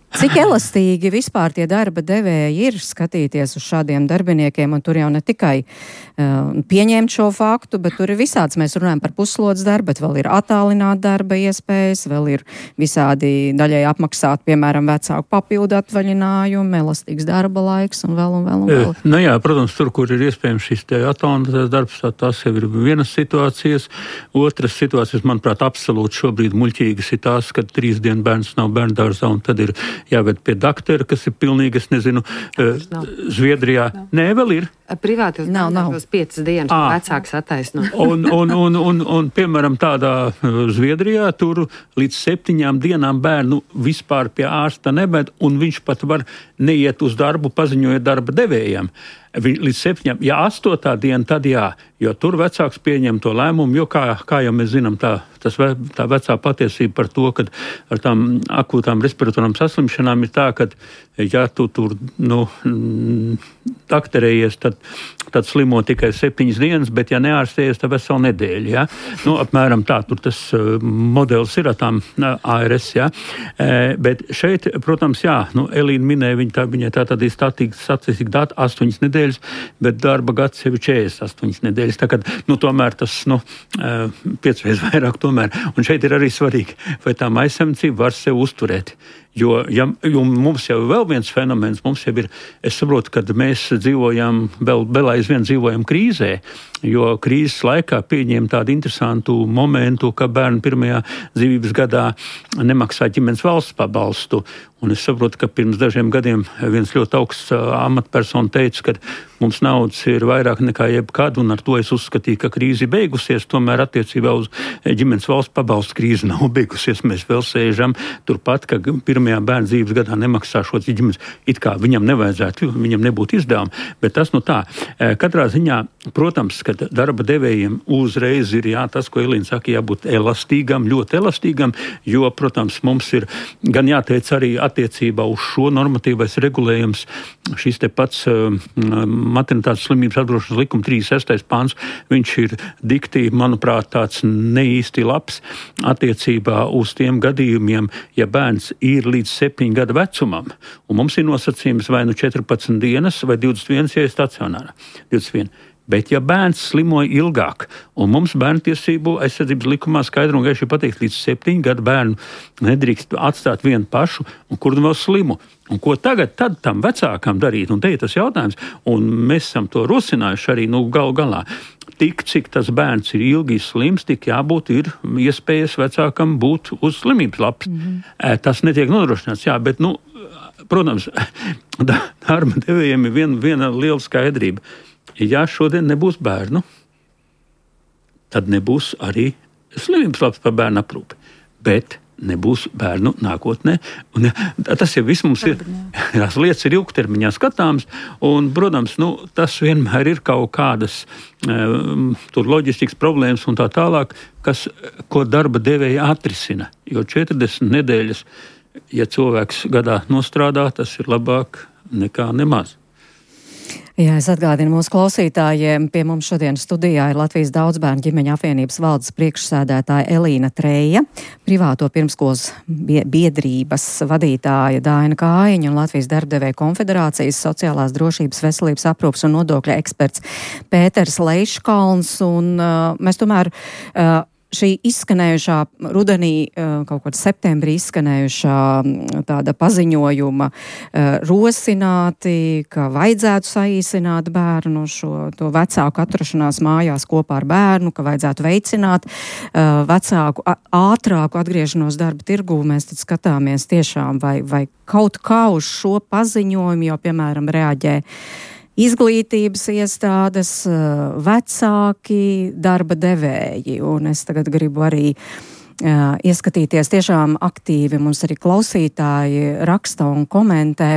Cik elastīgi vispār tie darba devēji ir skatīties uz šādiem darbiniekiem, un tur jau ne tikai pieņemt šo faktu, bet tur ir visāds, mēs runājam par puslodes darbu, bet vēl ir attālināt darba iespējas, vēl ir visādi daļai apmaksāt, piemēram, vecāku papildu atvaļinājumu, elastīgs darba laiks un vēl. Nu jā, protams, tur, kur ir iespējams šis te attālinātais darbs, tās jau ir vienas situācijas. Otras situācijas, manuprāt, absolūti šobrīd muļķīgas ir tās, kad 3 dienu bērns nav bērndārzā, un tad ir jāved pie daktera, kas ir pilnīgi, es nezinu, Zviedrijā. Nē, vēl ir. Privāti nav 5 dienas vecāks attaisno. Un piemēram, tādā Zviedrijā tur līdz 7 dienām bērnu vispār pie ārsta nebed, un viņš pat var neiet uz darbu, paziņojot darba devējiem. Līdz 7, ja 8. diena, tad jā, jo tur vecāks pieņem to lēmumu, jo kā jau mēs zinām, tā vecā patiesība par to, ka ar tām akūtām respiratorām saslimšanām ir tā, ka ja tu tur, dakterējies, tad slimo tikai 7 dienas, bet ja neārstējies, tad veselu nedēļu, ja? Apmēram tā, tur tas modelis ir tām ARS, ja? Bet šeit, protams, jā, Elīna minēja, viņai tā tad ir statistika data 8 nedēļas, bet darba gads jau ir 48 nedēļas, tā kā, tomēr tas, 5 reizes vairāk tomēr, un šeit ir arī svarīgi, vai tā maisaimniecība var sev uzturēt. Jo mums jau vēl viens fenomens, mums jau ir, es saprotu, kad mēs dzīvojam, vēl aizvien dzīvojam krīzē, jo krīzes laikā pieņēma tādu interesantu momentu, ka bērni pirmajā dzīvības gadā nemaksā ģimenes valsts pabalstu. Un es saprotu, ka pirms dažiem gadiem viens ļoti augsts amatpersona teica, ka mums naudas ir vairāk nekā jebkad, un ar to es uzskatīju, ka krīze ir beigusies. Tomēr attiecībā uz ģimenes valsts pabalstu krīze nav beigusies. Mēs vēl sēžam turpat, ka pirmajā bērna dzīves gadā nemaksā šo ģimenes. It kā viņam nevajadzētu, viņam nebūtu izdevumi, bet tas tā. Katrā ziņā, protams, ka darba devējiem uzreiz ir tas, ko Elīna saka, jābūt elastīgam, ļoti elastīgam, jo, protams, mums ir gan jāteic arī attiecībā uz šo normatīvais regulējums, šis te pats maternitātes slimības apdrošināšanas likuma 36. pants, viņš ir dikti, manuprāt, tāds neīsti labs attiecībā uz tiem gadījumiem, ja bērns ir līdz 7 gadu vecumam, un mums ir nosacījums vai 14 dienas vai 21, ja ir stacionārā. 21. Bet ja bērns slimoja ilgāk, un mums bērntiesību aizsardzības likumā skaidri un gaiši pateikt, līdz 7 gadu bērnu nedrīkst atstāt vienu pašu, un kur vēl slimu. Un ko tagad tad tam vecākam darīt? Un te ir tas jautājums, un mēs esam to rosinājuši arī galu galā. Tik, cik tas bērns ir ilgi slims, tik jābūt ir iespējas vecākam būt uz slimības lapas. Tas netiek nodrošināts, jā, bet, protams, darba devējiem ir viena liela skaidrība. Ja šodien nebūs bērnu, tad nebūs arī slimības labs par bērnu aprūpi. Bet nebūs bērnu nākotnē. Un tas jau viss mums ir. Tās lietas ir ilgtermiņā skatāmas. Un, protams, tas vienmēr ir kaut kādas tur loģistikas problēmas un tā tālāk, ko darba devēja atrisina. Jo 40 nedēļas, ja cilvēks gadā nostrādā, tas ir labāk nekā nemaz. Jā, es atgādinu mūsu klausītājiem, pie mums šodien studijā ir Latvijas Daudzbērnu ģimeņu apvienības valdes priekšsēdētāja Elīna Treja, privāto pirmskolas biedrības vadītāja Daina Kājiņa un Latvijas darbdevēju konfederācijas sociālās drošības, veselības aprūpes un nodokļa eksperts Pēters Leiškalns. Un mēs tomēr šī izskanējušā rudenī, kaut kādā septembrī izskanējušā tāda paziņojuma rosināti, ka vajadzētu saīsināt bērnu to vecāku atrašanās mājās kopā ar bērnu, ka vajadzētu veicināt vecāku ātrāku atgriešanos darba tirgū. Mēs tad skatāmies tiešām, vai kaut kā uz šo paziņojumu, jo, piemēram, reaģē izglītības iestādes, vecāki, darba devēji. Un es tagad gribu arī ieskatīties tiešām aktīvi. Mums arī klausītāji raksta un komentē.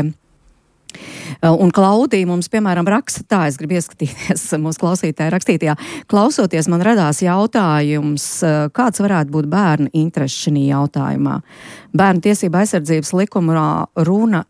Un Klaudija mums, piemēram, raksta tā, es gribu ieskatīties mūsu klausītāju rakstītajā. Klausoties, man radās jautājums, kāds varētu būt bērnu interesi šī jautājumā. Bērnu tiesība aizsardzības likumā runa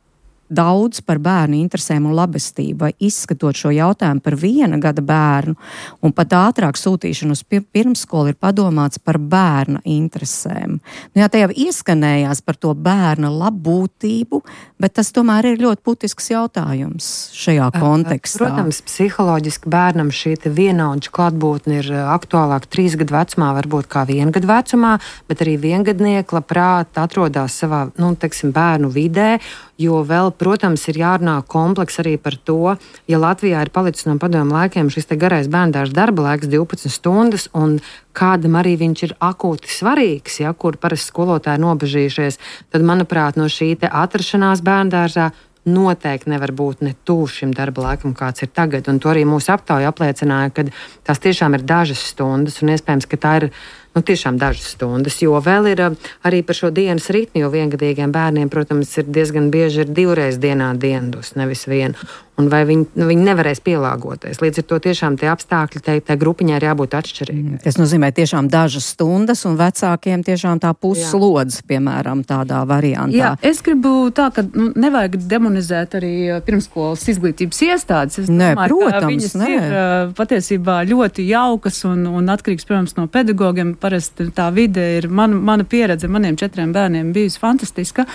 daudz par bērnu interesēm un labestību, vai izskatot šo jautājumu par 1 gada bērnu un pat ātrāk sūtīšanu uz pirmskolu ir padomāts par bērna interesēm. Nu jā, te jau ieskanējās par to bērna labbūtību, bet tas tomēr ir ļoti būtisks jautājums šajā kontekstā. Protams, psiholoģiski bērnam šī vienaudžu klātbūtne ir aktuālāk 3 gadu vecumā, varbūt kā 1 gadu vecumā, bet arī viengadnieki labprāt atrodas savā, bērnu vidē, jo vēl, protams, ir jārunā kompleks arī par to, ja Latvijā ir palicis no padomu laikiem šis te garais bērndārs darba laiks 12 stundas, un kādam arī viņš ir akūti svarīgs, ja, kur parasti skolotāji nobežījušies, tad, manuprāt, no šī te atrašanās bērndārzā noteikti nevar būt ne tuvu šim darba laikam, kāds ir tagad. Un to arī mūsu aptauja apliecināja, ka tās tiešām ir dažas stundas, un iespējams, ka tā ir tiešām dažas stundas, jo vēl ir arī par šo dienas ritmu, jo viengadīgiem bērniem, protams, ir diezgan bieži ir 2 reizes dienā dienas, nevis 1. Un vai viņi nevarēs pielāgoties. Līdz ar to tiešām tie apstākļi, tai grupiņai ir jābūt atšķirīgai. Tas nozīmē tiešām dažas stundas, un vecākiem tiešām tā puslodze, piemēram, tādā variantā. Jā, es gribu tā, ka nevajag demonizēt arī pirmskolas izglītības iestādes. Es domāju, protams, viņas ir patiesībā ļoti jaukas un atkarīgs, protams, no pedagogiem. Parasti tā vide ir, mana pieredze ar maniem 4 bērniem bijusi fantastiska.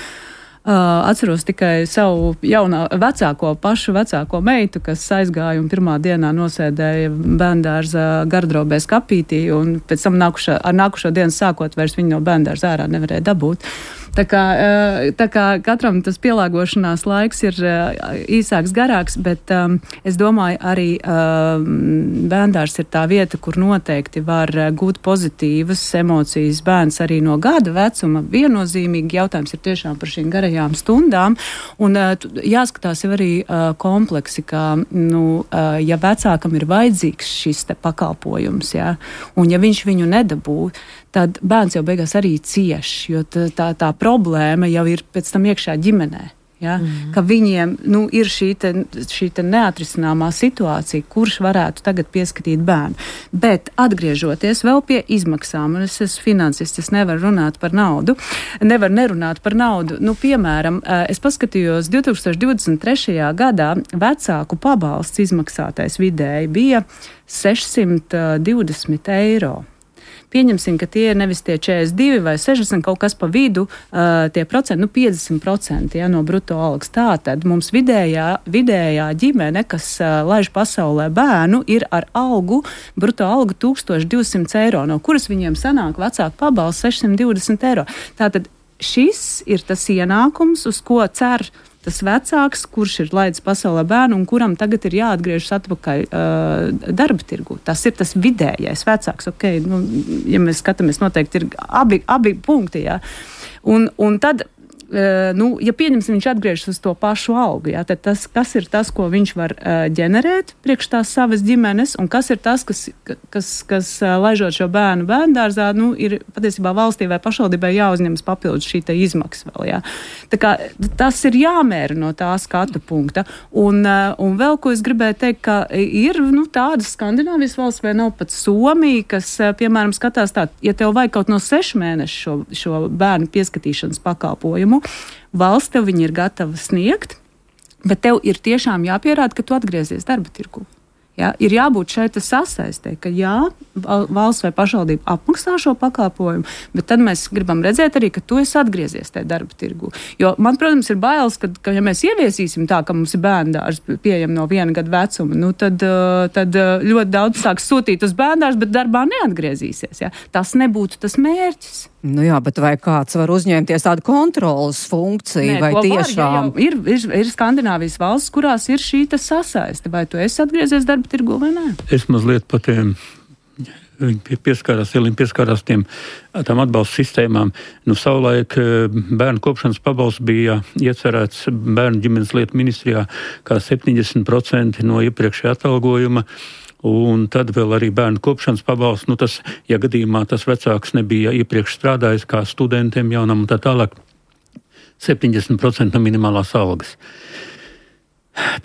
Atceros tikai savu pašu vecāko meitu, kas aizgāja un pirmā dienā nosēdēja bērndārza gardrobē skapītī, un pēc tam ar nākušo dienu sākot vairs viņu no bērndārza ārā nevarēja dabūt. Tā kā katram tas pielāgošanās laiks ir īsāks, garāks, bet es domāju, arī bērndārs ir tā vieta, kur noteikti var gūt pozitīvas emocijas bērns arī no gada vecuma. Viennozīmīgi jautājums ir tiešām par šīm garajām stundām, un jāskatās jau arī kompleksi, ka, ja vecākam ir vajadzīgs šis te pakalpojums, ja, un ja viņš viņu nedabū, tad bērns jau beigās arī cieš, jo tā problēma jau ir pēc tam iekšā ģimenē. Ja? Ka viņiem ir šī te neatrisināmā situācija, kurš varētu tagad pieskatīt bērnu. Bet atgriežoties vēl pie izmaksām, un es esmu finansists, es nevaru runāt par naudu, nerunāt par naudu. Piemēram, es paskatījos 2023. gadā vecāku pabalsts izmaksātais vidēji bija 620 eiro. Pieņemsim, ka tie ir nevis tie 42 vai 60, kaut kas pa vidu, tie procenti, 50% no bruto algas. Tātad mums vidējā ģimene, kas laiž pasaulē bērnu, ir ar bruto algu 1200 eiro, no kuras viņiem sanāk vecāku pabalsts 620 eiro. Tātad šis ir tas ienākums, uz ko cer tas vecāks, kurš ir laidis pasaulē bērnu un kuram tagad ir jāatgriežas atpakaļ darba tirgu. Tas ir tas vidējais vecāks. Okay, ja mēs skatāmies, noteikti ir abi punkti. Jā. Un tad, ja pieņemsim, viņš atgriežas uz to pašu algu, jā, tad kas ir tas, ko viņš var ģenerēt priekš tās savas ģimenes, un kas ir tas, kas laižot šo bērnu bērndārzā, ir patiesībā valstī vai pašvaldībai jāuzņemas papildus šī te izmaksa vēl, jā. Tā kā tas ir jāmēra no tā skatu punkta. Un vēl, ko es gribēju teikt, ka ir, tādas Skandināvijas valsts vai nav pat Somija, kas, piemēram, skatās tā, ja tev vajag kaut no 6 mēnešu šo bērnu pieskatīšanas pakalpojumu, valsts tev viņi ir gatava sniegt, Bet tev ir tiešām jāpierāda, ka tu atgriezies darba tirgu. Ja, ir jābūt šai sasaistē, ka jā, valsts vai pašvaldība apmaksā šo pakalpojumu, bet tad mēs gribam redzēt arī, ka tu esi atgriezies tajā darba tirgu. Jo man, protams, ir bailes, ka ja mēs ieviesīsim tā, ka mums ir bērndārs pieejam no 1 gada vecuma, tad ļoti daudz sāks sūtīt uz bērndārs, bet darbā neatgriezīsies. Ja. Tas nebūtu tas mērķis. Nu jā, bet vai kāds var uzņemties tādu kontrolas funkciju, vai tiešām? Ir Skandināvijas valsts, kurās ir šī sasaiste. Vai tu esi atgriezies darba tirgu vai nē? Es mazliet par tiem, viņi pieskārās tām atbalsta sistēmām. Savulaik bērnu kopšanas pabalsts bija iecerēts bērnu ģimenes lietu ministrijā kā 70% no iepriekšējā atalgojuma. Un tad vēl arī bērnu kopšanas pabalsts, tas, ja gadījumā tas vecāks nebija iepriekš strādājis kā studentiem jaunam un tā tālāk, 70% no minimālās algas.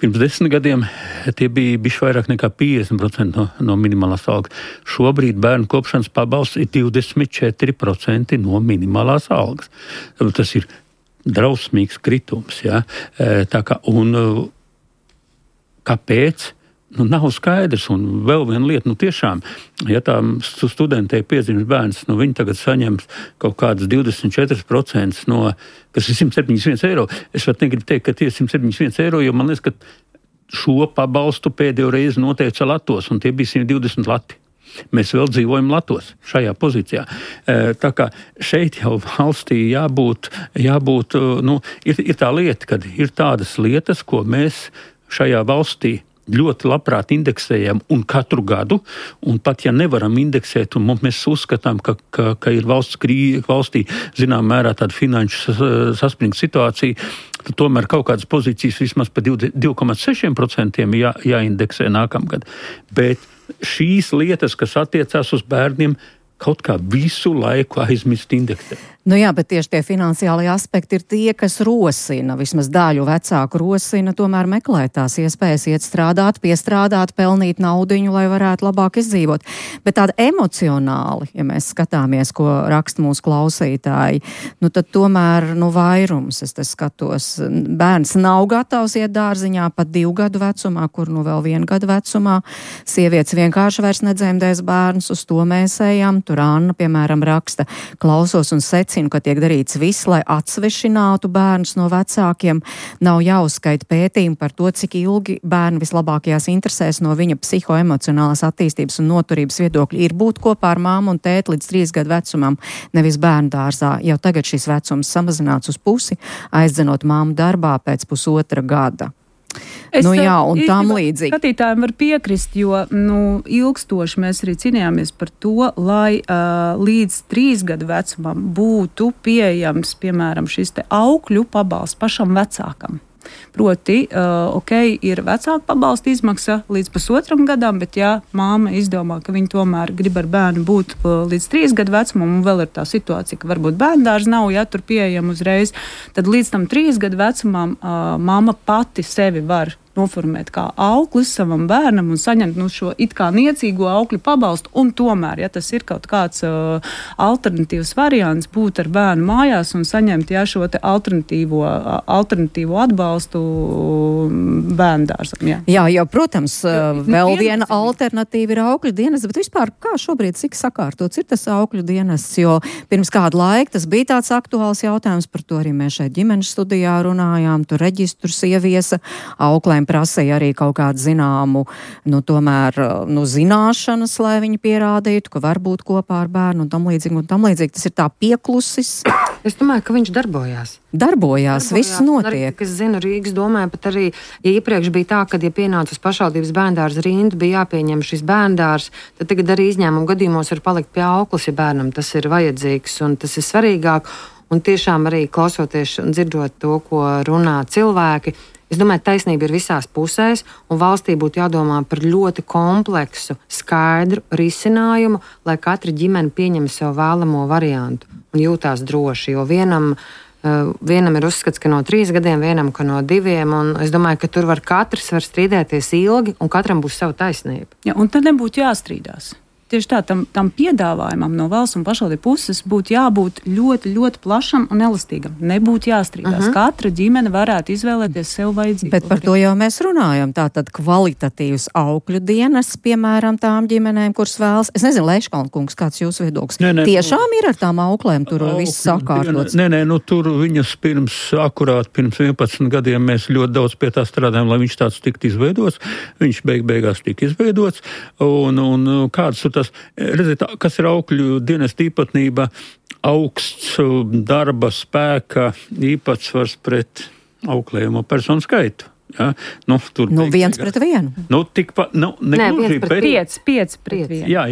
Pirms 10 gadiem tie bija bišķi vairāk nekā 50% no minimālās algas. Šobrīd bērnu kopšanas pabalsts ir 24% no minimālās algas. Tas ir drausmīgs kritums. Ja? Kāpēc? Nav skaidrs, un vēl viena lieta, tiešām, ja tā studentei piedzimis bērns, viņi tagad saņems kaut kādas 24% no, kas ir 171 eiro. Es pat negribu teikt, ka tie ir 171 eiro, jo man liekas, ka šo pabalstu pēdējo reizi noteica Latos, un tie bija 120 lati. Mēs vēl dzīvojam Latos šajā pozīcijā. Tā kā šeit jau valstī jābūt ir tā lieta, kad ir tādas lietas, ko mēs šajā valstī ļoti labprāt indeksējam un katru gadu, un pat ja nevaram indeksēt, un mēs uzskatām, ka ir valstī zinām mērā tāda finanšu saspringta situācija, tad tomēr kaut kādas pozīcijas vismaz pa 2,6% jāindeksē nākamgad. Bet šīs lietas, kas attiecās uz bērniem, kaut kā visu laiku aizmirst indeksēt. Jā, bet tieši tie finansiālie aspekti ir tie, kas rosina, vismaz daļu vecāku rosina, tomēr meklēt tās iespējas iet strādāt, piestrādāt, pelnīt naudiņu, lai varētu labāk izdzīvot. Bet tāda emocionāli, ja mēs skatāmies, ko raksta mūsu klausītāji, tad tomēr, vairums, es te skatos, bērns nav gatavs iet dārziņā pat 2 gadu vecumā, kur vēl 1 gadu vecumā. Sievietes vienkārši vairs nedzemdēs bērnus, uz to mēs ejam. Tur Anna, piemēram, raksta, klausos un ka tiek darīts viss, lai atsvešinātu bērnus no vecākiem. Nav jāuzskaita pētījumi par to, cik ilgi bērni vislabākajās interesēs no viņa psihoemocionālās attīstības un noturības viedokļa ir būt kopā ar māmu un tēti līdz 3 gadu vecumam, nevis bērnu dārzā. Jau tagad šis vecums samazināts uz pusi, aizdzenot māmu darbā pēc 1,5 gada. Un tam līdzīgi. Skatītājiem var piekrist, jo ilgstoši mēs arī cīnījāmies par to, lai līdz 3 gadu vecumam būtu pieejams, piemēram, šis aukļu pabalsts pašam vecākam. Proti, ir vecāka pabalsta izmaksa līdz 1,5 gadam, bet ja māma izdomā, ka viņa tomēr grib ar bērnu būt līdz 3 gadu vecumam, un vēl ir tā situācija, ka varbūt bērndārs nav, tur pieejam uzreiz, tad līdz tam 3 gadu vecumam māma pati sevi var noformēt kā auklis savam bērnam un saņemt šo it kā niecīgo aukļu pabalstu, un tomēr, ja tas ir kaut kāds alternatīvs variants, būt ar bērnu mājās un saņemt šo te alternatīvo atbalstu bērndārzam. Jā, protams, vēl viena alternatīva ir aukļu dienests, bet vispār kā šobrīd cik sakārtots ir tas aukļu dienests, jo pirms kādu laiku tas bija tāds aktuāls jautājums, par to arī mēs šeit ģimenes studijā runājām, tur reģistrus ieviesa, auklēm prasīja arī kaut kādu zināmu, zināšanas, lai viņi pierādītu, ka var būt kopā ar bērnu un tam līdzīgi. Tas ir tā pieklusis. Es domāju, ka viņš darbojās. Darbojās, viss notiek. Arī, es zinu, Rīgas domē, pat arī, ja iepriekš bija tā, kad, ja pienāca uz pašvaldības bērndārza rindu, bija jāpieņem šis bērndārs, tad tagad arī izņēmumu gadījumos var palikt pie auklis, ja bērnam tas ir vajadzīgs un tas ir svarīgāk. Un tiešām arī klausoties un dzirdot to, ko runā cilvēki, es domāju, taisnība ir visās pusēs, un valstī būtu jādomā par ļoti kompleksu, skaidru risinājumu, lai katra ģimene pieņem sev vēlamo variantu un jūtās droši. Jo vienam ir uzskats, ka no 3 gadiem, vienam, ka no 2, un es domāju, ka tur katrs var strīdēties ilgi, un katram būs sava taisnība. Ja, un tad nebūtu jāstrīdās. tieši tā, tam piedāvājumam no valsts un pašvaldību puses būtu jābūt ļoti, ļoti plašam un elastīgam. Nebūtu jāstrīdās. Katra ģimene varētu izvēlēties sev vajadzību. Bet par to jau mēs runājam. Tātad kvalitatīvs aukļu dienas, piemēram, tām ģimenēm, kuras vēlas. Es nezinu, Leiškalna kungs, kāds jūsu viedoklis? Tiešām ir ar tām auklēm tur viss sakārtots? Nē, tur viņas akurāt pirms 11 gadiem mēs ļoti daudz pie tā strādājam, lai viņš tāds tiktu izveidots. Viņš beigās tika izveidots. Un kāds ir tas, redziet, kas ir aukļu dienas īpatnība, augsts darba spēka īpatsvars pret auklējumu personu skaitu. Ja? Tur 1 pret 1. Tikpat, negluži, bet 5 pret 1. Jā.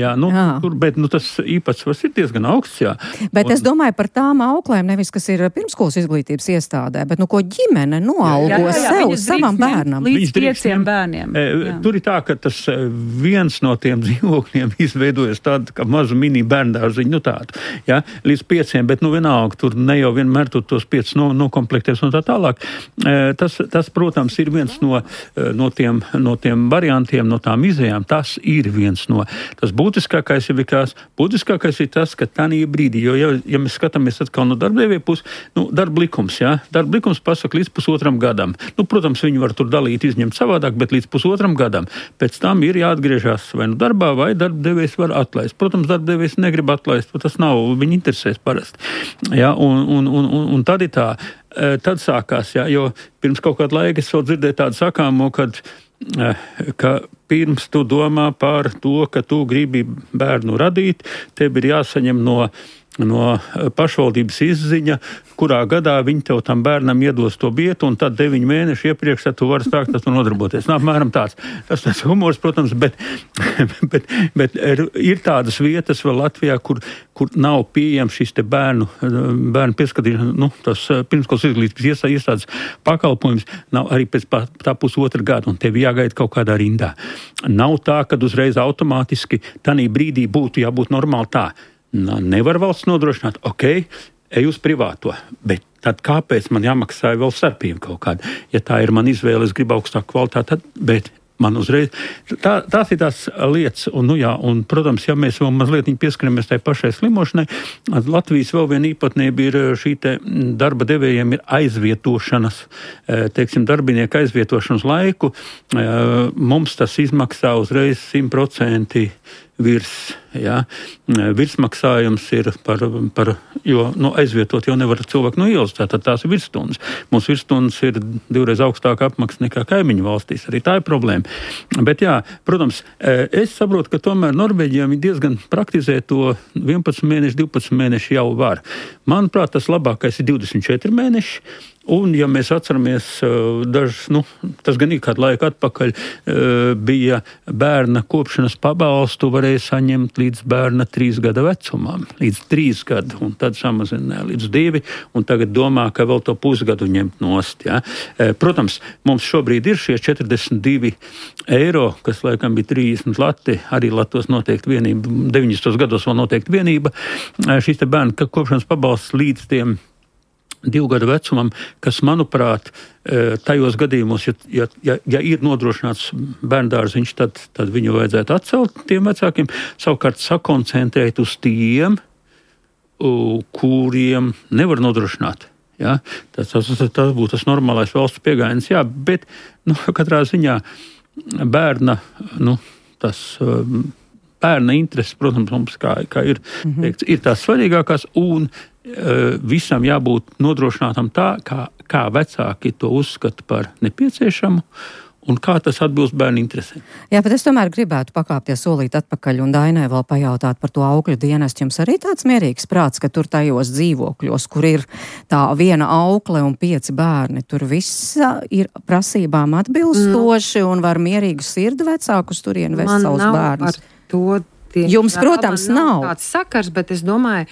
Bet tas īpatsvars ir diezgan augsts, jā. Bet es domāju par tām auklēm, nevis, kas ir pirmskolas izglītības iestādē, bet ko ģimene noalgo sev, savam bērnam. Līdz 5 bērniem. Tur ir tā, ka tas viens no tiem dzīvokļiem izveidojas tādu, kā mazu mini bērndārziņu, tādu, jā, līdz 5, bet vienalga, tur ne jau vienmēr tur tos 5 nokomplektēs un tā tālāk. Tas, protams, ir viens no tiem variantiem, no tām izējām. Tas ir viens no. Tas būtiskākais ir tas, ka tanī brīdī, jo ja mēs skatāmies atkal no darbdevēja puses, darba likums, jā, darba likums pasaka līdz 1,5 gadam. Protams, viņi var tur dalīt, izņemt savādāk, bet līdz 1,5 gadam. Pēc tam ir jāatgriežas vai darbā, vai darbdevējs var atlaist. Protams, darbdevējs negrib atlaist, tas nav viņa interesēs parasti. Jā, un tad ir tā. Tad sākās, jā, jo pirms kaut kāda laika es vēl dzirdēju tādu sakāmo, ka pirms tu domā par to, ka tu gribi bērnu radīt, tev ir jāsaņem no pašvaldības izziņa, kurā gadā viņi tev tam bērnam iedos to vietu, un tad 9 mēneši iepriekš tu vari sākt ar to nodarboties. Apmēram tāds. Tas humors, protams, bet ir tādas vietas vēl Latvijā, kur nav pieejams šis te bērnu pieskatīšana, tas pirmskolas izglītības iestādes pakalpojums, nav arī pēc tā 1,5 gada, un tev jāgaida kaut kādā rindā. Nav tā, kad uzreiz automātiski tanī brīdī būtu jābūt normāli tā. Nevar valsts nodrošināt, ej uz privāto, bet tad kāpēc man jāmaksā vēl starpība kaut kāda? Ja tā ir man izvēle, es gribu augstāku kvalitāti, bet man uzreiz. Tās ir tās lietas, un, protams, ja mēs vēl mazliet pieskaramies tai pašai slimošanai, Latvijas vēl viena īpatnība ir šī te darba devējiem ir aizvietošanas, darbinieku aizvietošanas laiku. Mums tas izmaksā uzreiz 100% virs, jā. Virsmaksājums ir jo aizvietot jau nevar cilvēku no ielas, tātad tās ir virsstundas. Mums virsstundas ir 2 reizes augstāka apmaksa nekā kaimiņu valstīs, arī tā ir problēma. Bet jā, protams, es saprotu, ka tomēr Norvēģijā viņi diezgan praktizē to 11 mēneši, 12 mēneši jau var. Manuprāt, tas labākais ir 24 mēneši. Un, ja mēs atceramies tas gan ir kādu laiku atpakaļ, bija bērna kopšanas pabalstu varēja saņemt līdz bērna 3 gada vecumam, līdz 3 gadu, un tad samazināja līdz 2, un tagad domā, ka vēl to pusgadu ņemt nost. Ja? Protams, mums šobrīd ir šie 42 eiro, kas laikam bija 30 lati, arī latos noteikti vienība, 90. gados vēl noteikti vienība, šīs te bērna kopšanas pabalsts līdz tiem 2 gadu vecumam, kas, manuprāt, tajos gadījumos, ja ir nodrošināts bērndārziņš, tad viņu vajadzētu atcelt tiem vecākiem, savukārt sakoncentrēt uz tiem, kuriem nevar nodrošināt. Ja? Tas būtu tas normālais valsts piegājiens, jā, bet katrā ziņā bērna, bērna intereses, protams, mums, kā ir teikts, ir tās svarīgākās, un visam jābūt nodrošinātam tā, kā vecāki to uzskata par nepieciešamu un kā tas atbilst bērnu interesēm. Jā, bet es tomēr gribētu pakāpties solīt atpakaļ un Dainai vēl pajautāt par to aukļu dienestu. Jums arī tāds mierīgs prāts, ka tur tajos dzīvokļos, kur ir tā 1 aukle un 5 bērni, tur viss ir prasībām atbilstoši un var mierīgu sirdi vecākus turien vest savus bērnus. Jums, protams, nav tāds sakars, bet es domāju,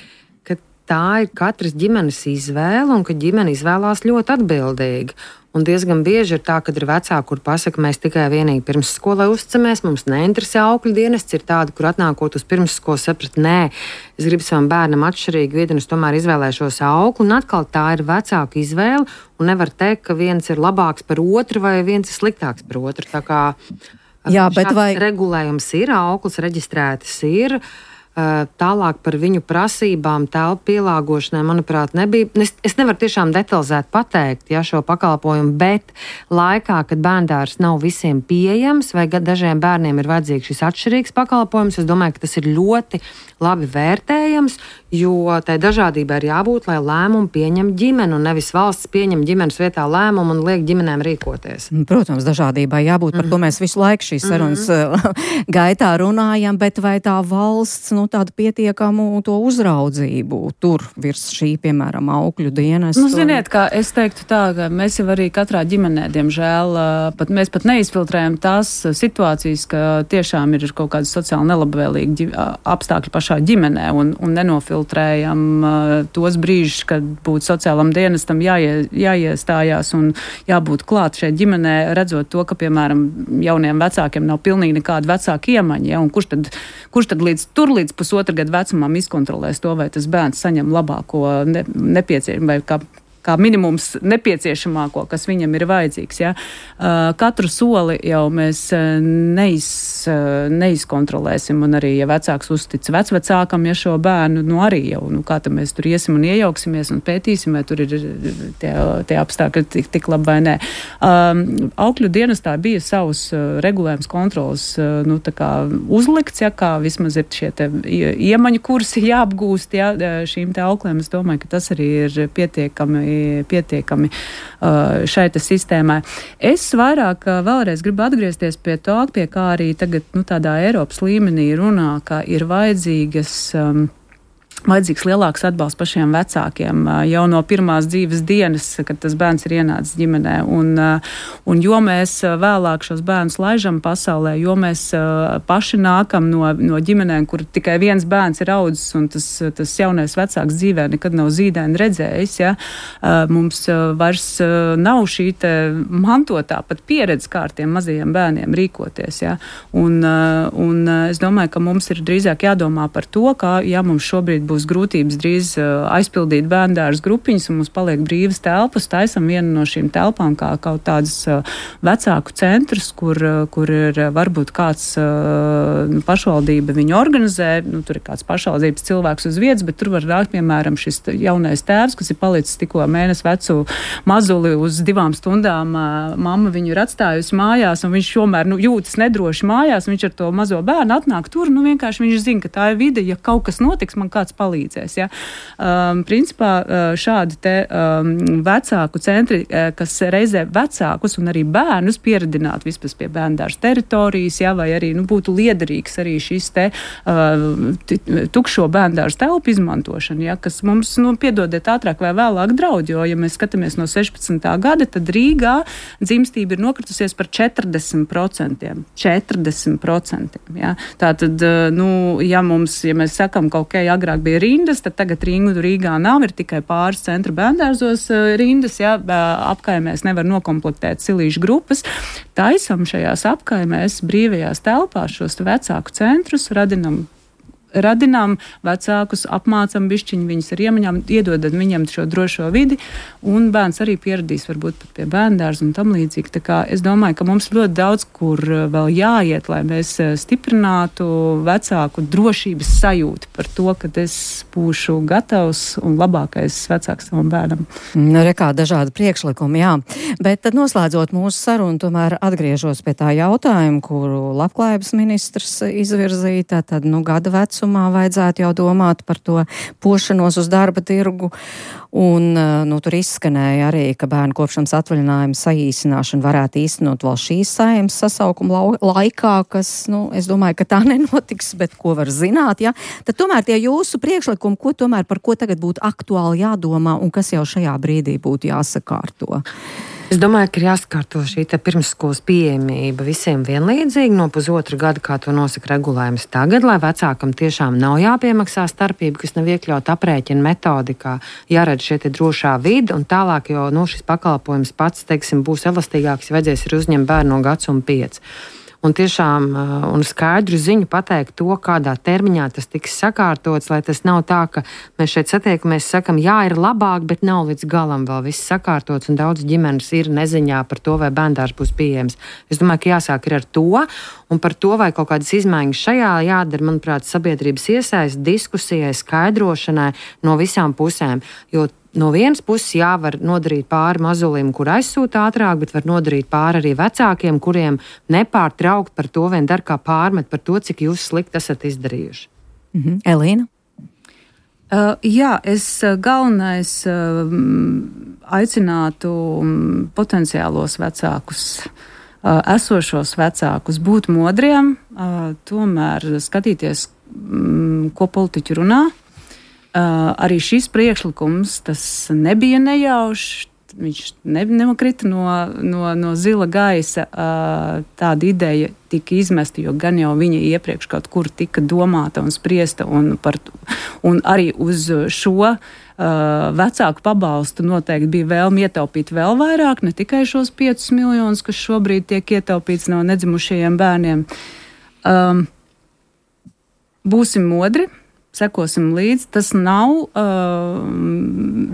ka tā ir katras ģimenes izvēle un ka ģimene izvēlās ļoti atbildīgi. Un diezgan bieži ir tā, kad ir vecāki, kur pasaka, mēs tikai vienīgi pirmsskolai uzticamies, mums neinteresē aukļu dienests, ir tādi, kur atnākot uz pirmsskolu saprat, nē, es gribu savam bērnam atšķirīgu vietu, un es tomēr izvēlēšos auklu, un atkal tā ir vecāku izvēle, un nevar teikt, ka viens ir labāks par otru vai viens ir sliktāks par otru. Tā kā Jā, bet vai regulējums ir, auklis reģistrētas ir. Tālāk par viņu prasībām, telpu pielāgošanai, manuprāt, nebija. Es nevaru tiešām detalizēt pateikt, šo pakalpojumu, bet laikā, kad bērndārs nav visiem pieejams, vai dažiem bērniem ir vajadzīgs šis atšķirīgs pakalpojums, es domāju, ka tas ir ļoti labi vērtējams, jo tai dažādībai ir jābūt, lai lēmumu pieņem ģimene, un nevis valsts pieņem ģimenes vietā lēmumu un liek ģimenēm rīkoties. Protams, dažādībai jābūt, par to mēs visu laiku šīs sarunas gaitā runājam, bet vai tā valsts, tādu pietiekamu to uzraudzību tur virs šī, piemēram, aukļu dienas? Ziniet, kā es teiktu tā, ka mēs jau arī katrā ģimenē, diemžēl, mēs pat neizfiltrējam tās situācijas, ka tiešām ir kaut kāda sociāli nelabvēlīgi apstākļi pašā ģimenē un nenofiltrējam tos brīžus, kad būtu sociālam dienestam jāiestājās un jābūt klāt šeit ģimenē, redzot to, ka, piemēram, jauniem vecākiem nav pilnīgi nekāda vecāka iemaņa, un kurš tad līdz pusotra gada vecumam izkontrolēs to, vai tas bērns saņem labāko nepieciešamo, vai kā minimums nepieciešamāko, kas viņam ir vajadzīgs. Ja? Katru soli jau mēs neizkontrolēsim, un arī, ja vecāks uztic vecvecākam, šo bērnu, arī jau, kā tad mēs tur iesim un iejauksimies un pētīsim, vai tur ir tie apstākļi tik labi vai nē. Aukļu dienestā bija savus regulējums kontrols, tā kā uzlikts, kā vismaz ir šie te iemaņu kursi jāapgūst, šīm te auklēm. Es domāju, ka tas arī ir pietiekami šai sistēmai. Es vairāk vēlreiz gribu atgriezties pie tā, pie kā arī tagad tādā Eiropas līmenī runā, ka ir vajadzīgs lielāks atbalsts pašiem vecākiem jau no pirmās dzīves dienas, kad tas bērns ir ienācis ģimenē. Un jo mēs vēlāk šos bērnus laižam pasaulē, jo mēs paši nākam no ģimenēm, kur tikai viens bērns ir audzis un tas jaunais vecāks dzīvē nekad nav zīdaini redzējis. Ja? Mums vairs nav šī te mantotā pat pieredze kā ar tiem mazajiem bērniem rīkoties. Ja? Un es domāju, ka mums ir drīzāk jādomā par to, ka mums šobrīd būs grūtības drīz aizpildīt bērndārs grupiņas un mums paliek brīvas telpas. Taisam vienu no šīm telpām kā kaut tādas vecāku centrus, kur ir varbūt kāds pašvaldība viņu organizē, tur ir kāds pašvaldības cilvēks uz vietas, bet tur var nākt, piemēram, šis jaunais tēvs, kas ir palicis tikko mēnesi vecu mazuli uz 2 stundām. Mamma viņu ir atstājusi mājās un viņš tomēr jūtas nedroši mājās, viņš ar to mazo bērnu atnāk tur, vienkārši viņš zina, ka tā ir vide, ja kaut kas notiks, man kāds palīdzēs. Ja? Principā šādi te vecāku centri, kas reizē vecākus un arī bērnus pieredināt vispār pie bērndārs teritorijas, ja? Vai arī būtu liederīgs arī šis te tukšo bērndārs telpu izmantošana, ja? Kas mums, piedodiet, ātrāk vai vēlāk draud, jo, ja mēs skatāmies no 16. gada, tad Rīgā dzimstība ir nokritusies par 40%. 40%. Ja? Tātad, ja mēs sakam, ka agrāk bija rindas, tad tagad rindu Rīgā nav, ir tikai pāris centra bērndārzos rindas, ja, apkaimēs nevar nokomplektēt silīšu grupas. Taisam šajās apkaimēs brīvajās telpās šos vecāku centrus, radinām vecākus, apmācam bišķiņu viņus ar iemaņām, iedodam viņam šo drošo vidi, un bērns arī pieradīs varbūt pat pie bērndārza un tam līdzīgi. Tā kā es domāju, ka mums ļoti daudz, kur vēl jāiet, lai mēs stiprinātu vecāku drošības sajūtu par to, ka es būšu gatavs un labākais vecāks savam bērnam. Rekā dažādi priekšlikumi, jā. Bet tad noslēdzot mūsu sarunu, tomēr atgriežos pie tā jautājuma, kuru labklājības ministrs izvirzīja, tad gada vecumā vajadzētu jau domāt par to pošanos uz darba tirgu. Un tur izskanēja arī, ka bērnu kopšanas atvaļinājuma saīsināšana varētu īstenot vēl šīs Saeimas sasaukuma laikā, kas, es domāju, ka tā nenotiks, bet ko var zināt, ja? Tad tomēr tie jūsu priekšlikumi, par ko tagad būtu aktuāli jādomā un kas jau šajā brīdī būtu jāsakārto? Es domāju, ka ir jāsakārto šī pirmsskolas pieejamība visiem vienlīdzīgi no pusotra gada, kā to nosaka regulējums tagad, lai vecākam tiešām nav jāpiemaksā starpība, kas nav iekļaut aprēķina metodikā, jāredz šie drošā vide, un tālāk jau šis pakalpojums pats, būs elastīgāks, ja vajadzēs ir uzņemt bērnu no 1 un 5. un tiešām un skaidru ziņu pateikt to, kādā termiņā tas tiks sakārtots, lai tas nav tā, ka mēs šeit satiekamies, sakam, jā, ir labāk, bet nav līdz galam vēl viss sakārtots, un daudz ģimenes ir neziņā par to, vai bērndārs būs pieejams. Es domāju, ka jāsāk ir ar to, un par to, vai kaut kādas izmaiņas šajā jādara, manuprāt, sabiedrības iesaist, diskusijai, skaidrošanai no visām pusēm, jo no vienas puses var nodarīt pāri mazulim, kur aizsūta ātrāk, bet var nodarīt pāri arī vecākiem, kuriem nepārtraukt par to vien dar kā pārmet par to, cik jūs slikti esat izdarījuši. Elīna? Jā, es galvenais aicinātu potenciālos vecākus, esošos vecākus būt modriem, tomēr skatīties, ko politiķi runā. Arī šis priekšlikums, tas nebija nejaušs, viņš nemakrita no zila gaisa. Tāda ideja tika izmesta, jo gan jau viņa iepriekš kaut kur tika domāta un spriesta, un arī uz šo vecāku pabalstu noteikti bija vēlme ietaupīt vēl vairāk, ne tikai šos 5 miljonus, kas šobrīd tiek ietaupīts no nedzimušajiem bērniem. Būsim modri. Sekosim līdzi. Tas nav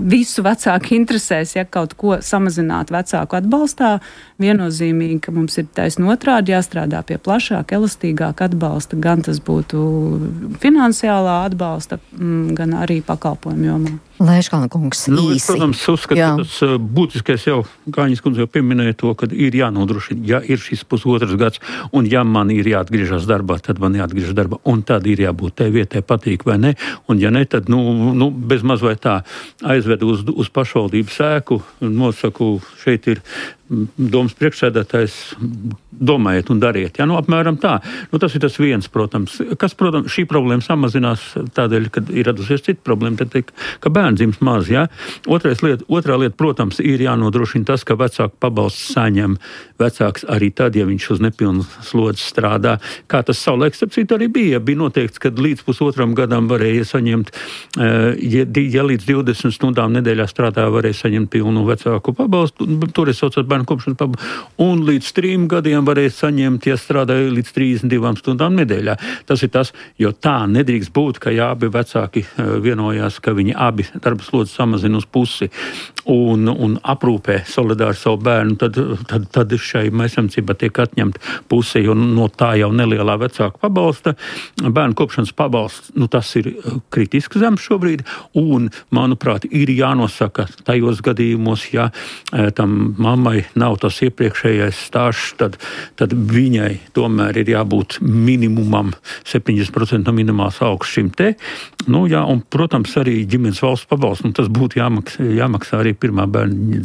visu vecāku interesēs, ja kaut ko samazināt vecāku atbalstā. Viennozīmīgi, ka mums ir taisn otrādi jāstrādā pie plašāka, elastīgāka atbalsta. Gan tas būtu finansiālā atbalsta, gan arī pakalpojumu jomā. Lēškalna kungs, īsi. Es, protams, uzskatu, ka tas būtiskais jau, Kāņas kundze jau pieminēja to, ka ir jānodrošina, ja ir šis pusotrs gads, un ja man ir jāatgriežas darbā, tad man jāatgriežas darbā, un tad ir jābūt tai vietai patīk vai ne, un ja ne, tad, bez maz vai tā aizvedu uz pašvaldības ēku, nosaku, šeit ir domas priekšsēdētājs, domājiet un dariet. Ja, apmēram tā. Tas ir tas viens, protams. Kas, protams, šī problēma samazinās tādēļ, kad ir radusies cita problēma, tad, ka bērns dzims maz. Ja. Otrā lieta, protams, ir jānodrošina tas, ka vecāku pabalsts saņem vecāks arī tad, ja viņš uz nepilnu slodzi strādā. Kā tas savulaik, starp citu, arī bija. Bija noteikts, ka līdz pusotram gadam varēja saņemt, ja līdz 20 stundām nedēļā strādā, varēja saņemt pilnu vecāku pabalstu. Toreiz saucot bērnu kopšanas pabalstu. Un līdz 3 gadiem varēja saņemt, ja strādāja līdz 32 stundām nedēļā. Tas ir tas, jo tā nedrīkst būt, ka ja abi vecāki vienojās, ka viņi abi darba slodzi samazina uz pusi un aprūpē solidāri savu bērnu, tad šai maisaimniecībā tiek atņemta puse, jo no tā jau nelielā vecāka pabalsta. Bērnu kopšanas pabalsts, tas ir kritiski zems šobrīd, un, manuprāt, ir jānosaka tajos gadījumos, ja tam mammai nav tas iepriekšējais stāžs, tad viņai tomēr ir jābūt minimumam 70% no minimālās algas šim te. Un, protams, arī ģimenes valsts pabalsts, tas būtu jāmaksā arī pirmā bērna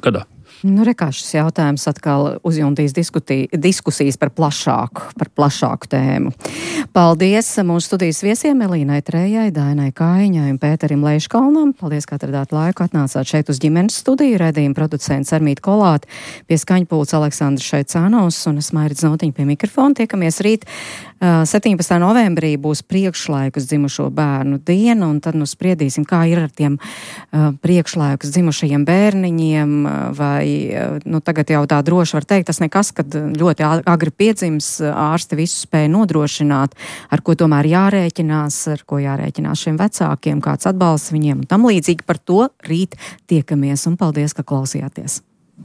gadā. Rekā šis jautājums atkal uzjuntīs diskusijas par plašāku tēmu. Paldies mūsu studijas viesiem Elīnai Trējai, Dainai Kājiņai un Pēterim Leiškalnam. Paldies, ka atradāt laiku, atnācāt šeit uz ģimenes studiju. Raidījuma producents Armīta Kolāte, pie skaņpults Aleksandrs Šeicānos un es Mairits Notiņa pie mikrofona. Tiekamies rīt 17. novembrī būs priekšlaikus dzimušo bērnu diena, un tad spriedīsim, kā ir ar tiem priekšlaikus dzimušajiem bērniņiem, vai tagad jau tā droši var teikt, tas nekas, kad ļoti agri piedzims, ārsti visu spēja nodrošināt, ar ko tomēr jārēķinās, šiem vecākiem, kāds atbalsts viņiem un tam līdzīgi. Par to rīt tiekamies, un paldies, ka klausījāties.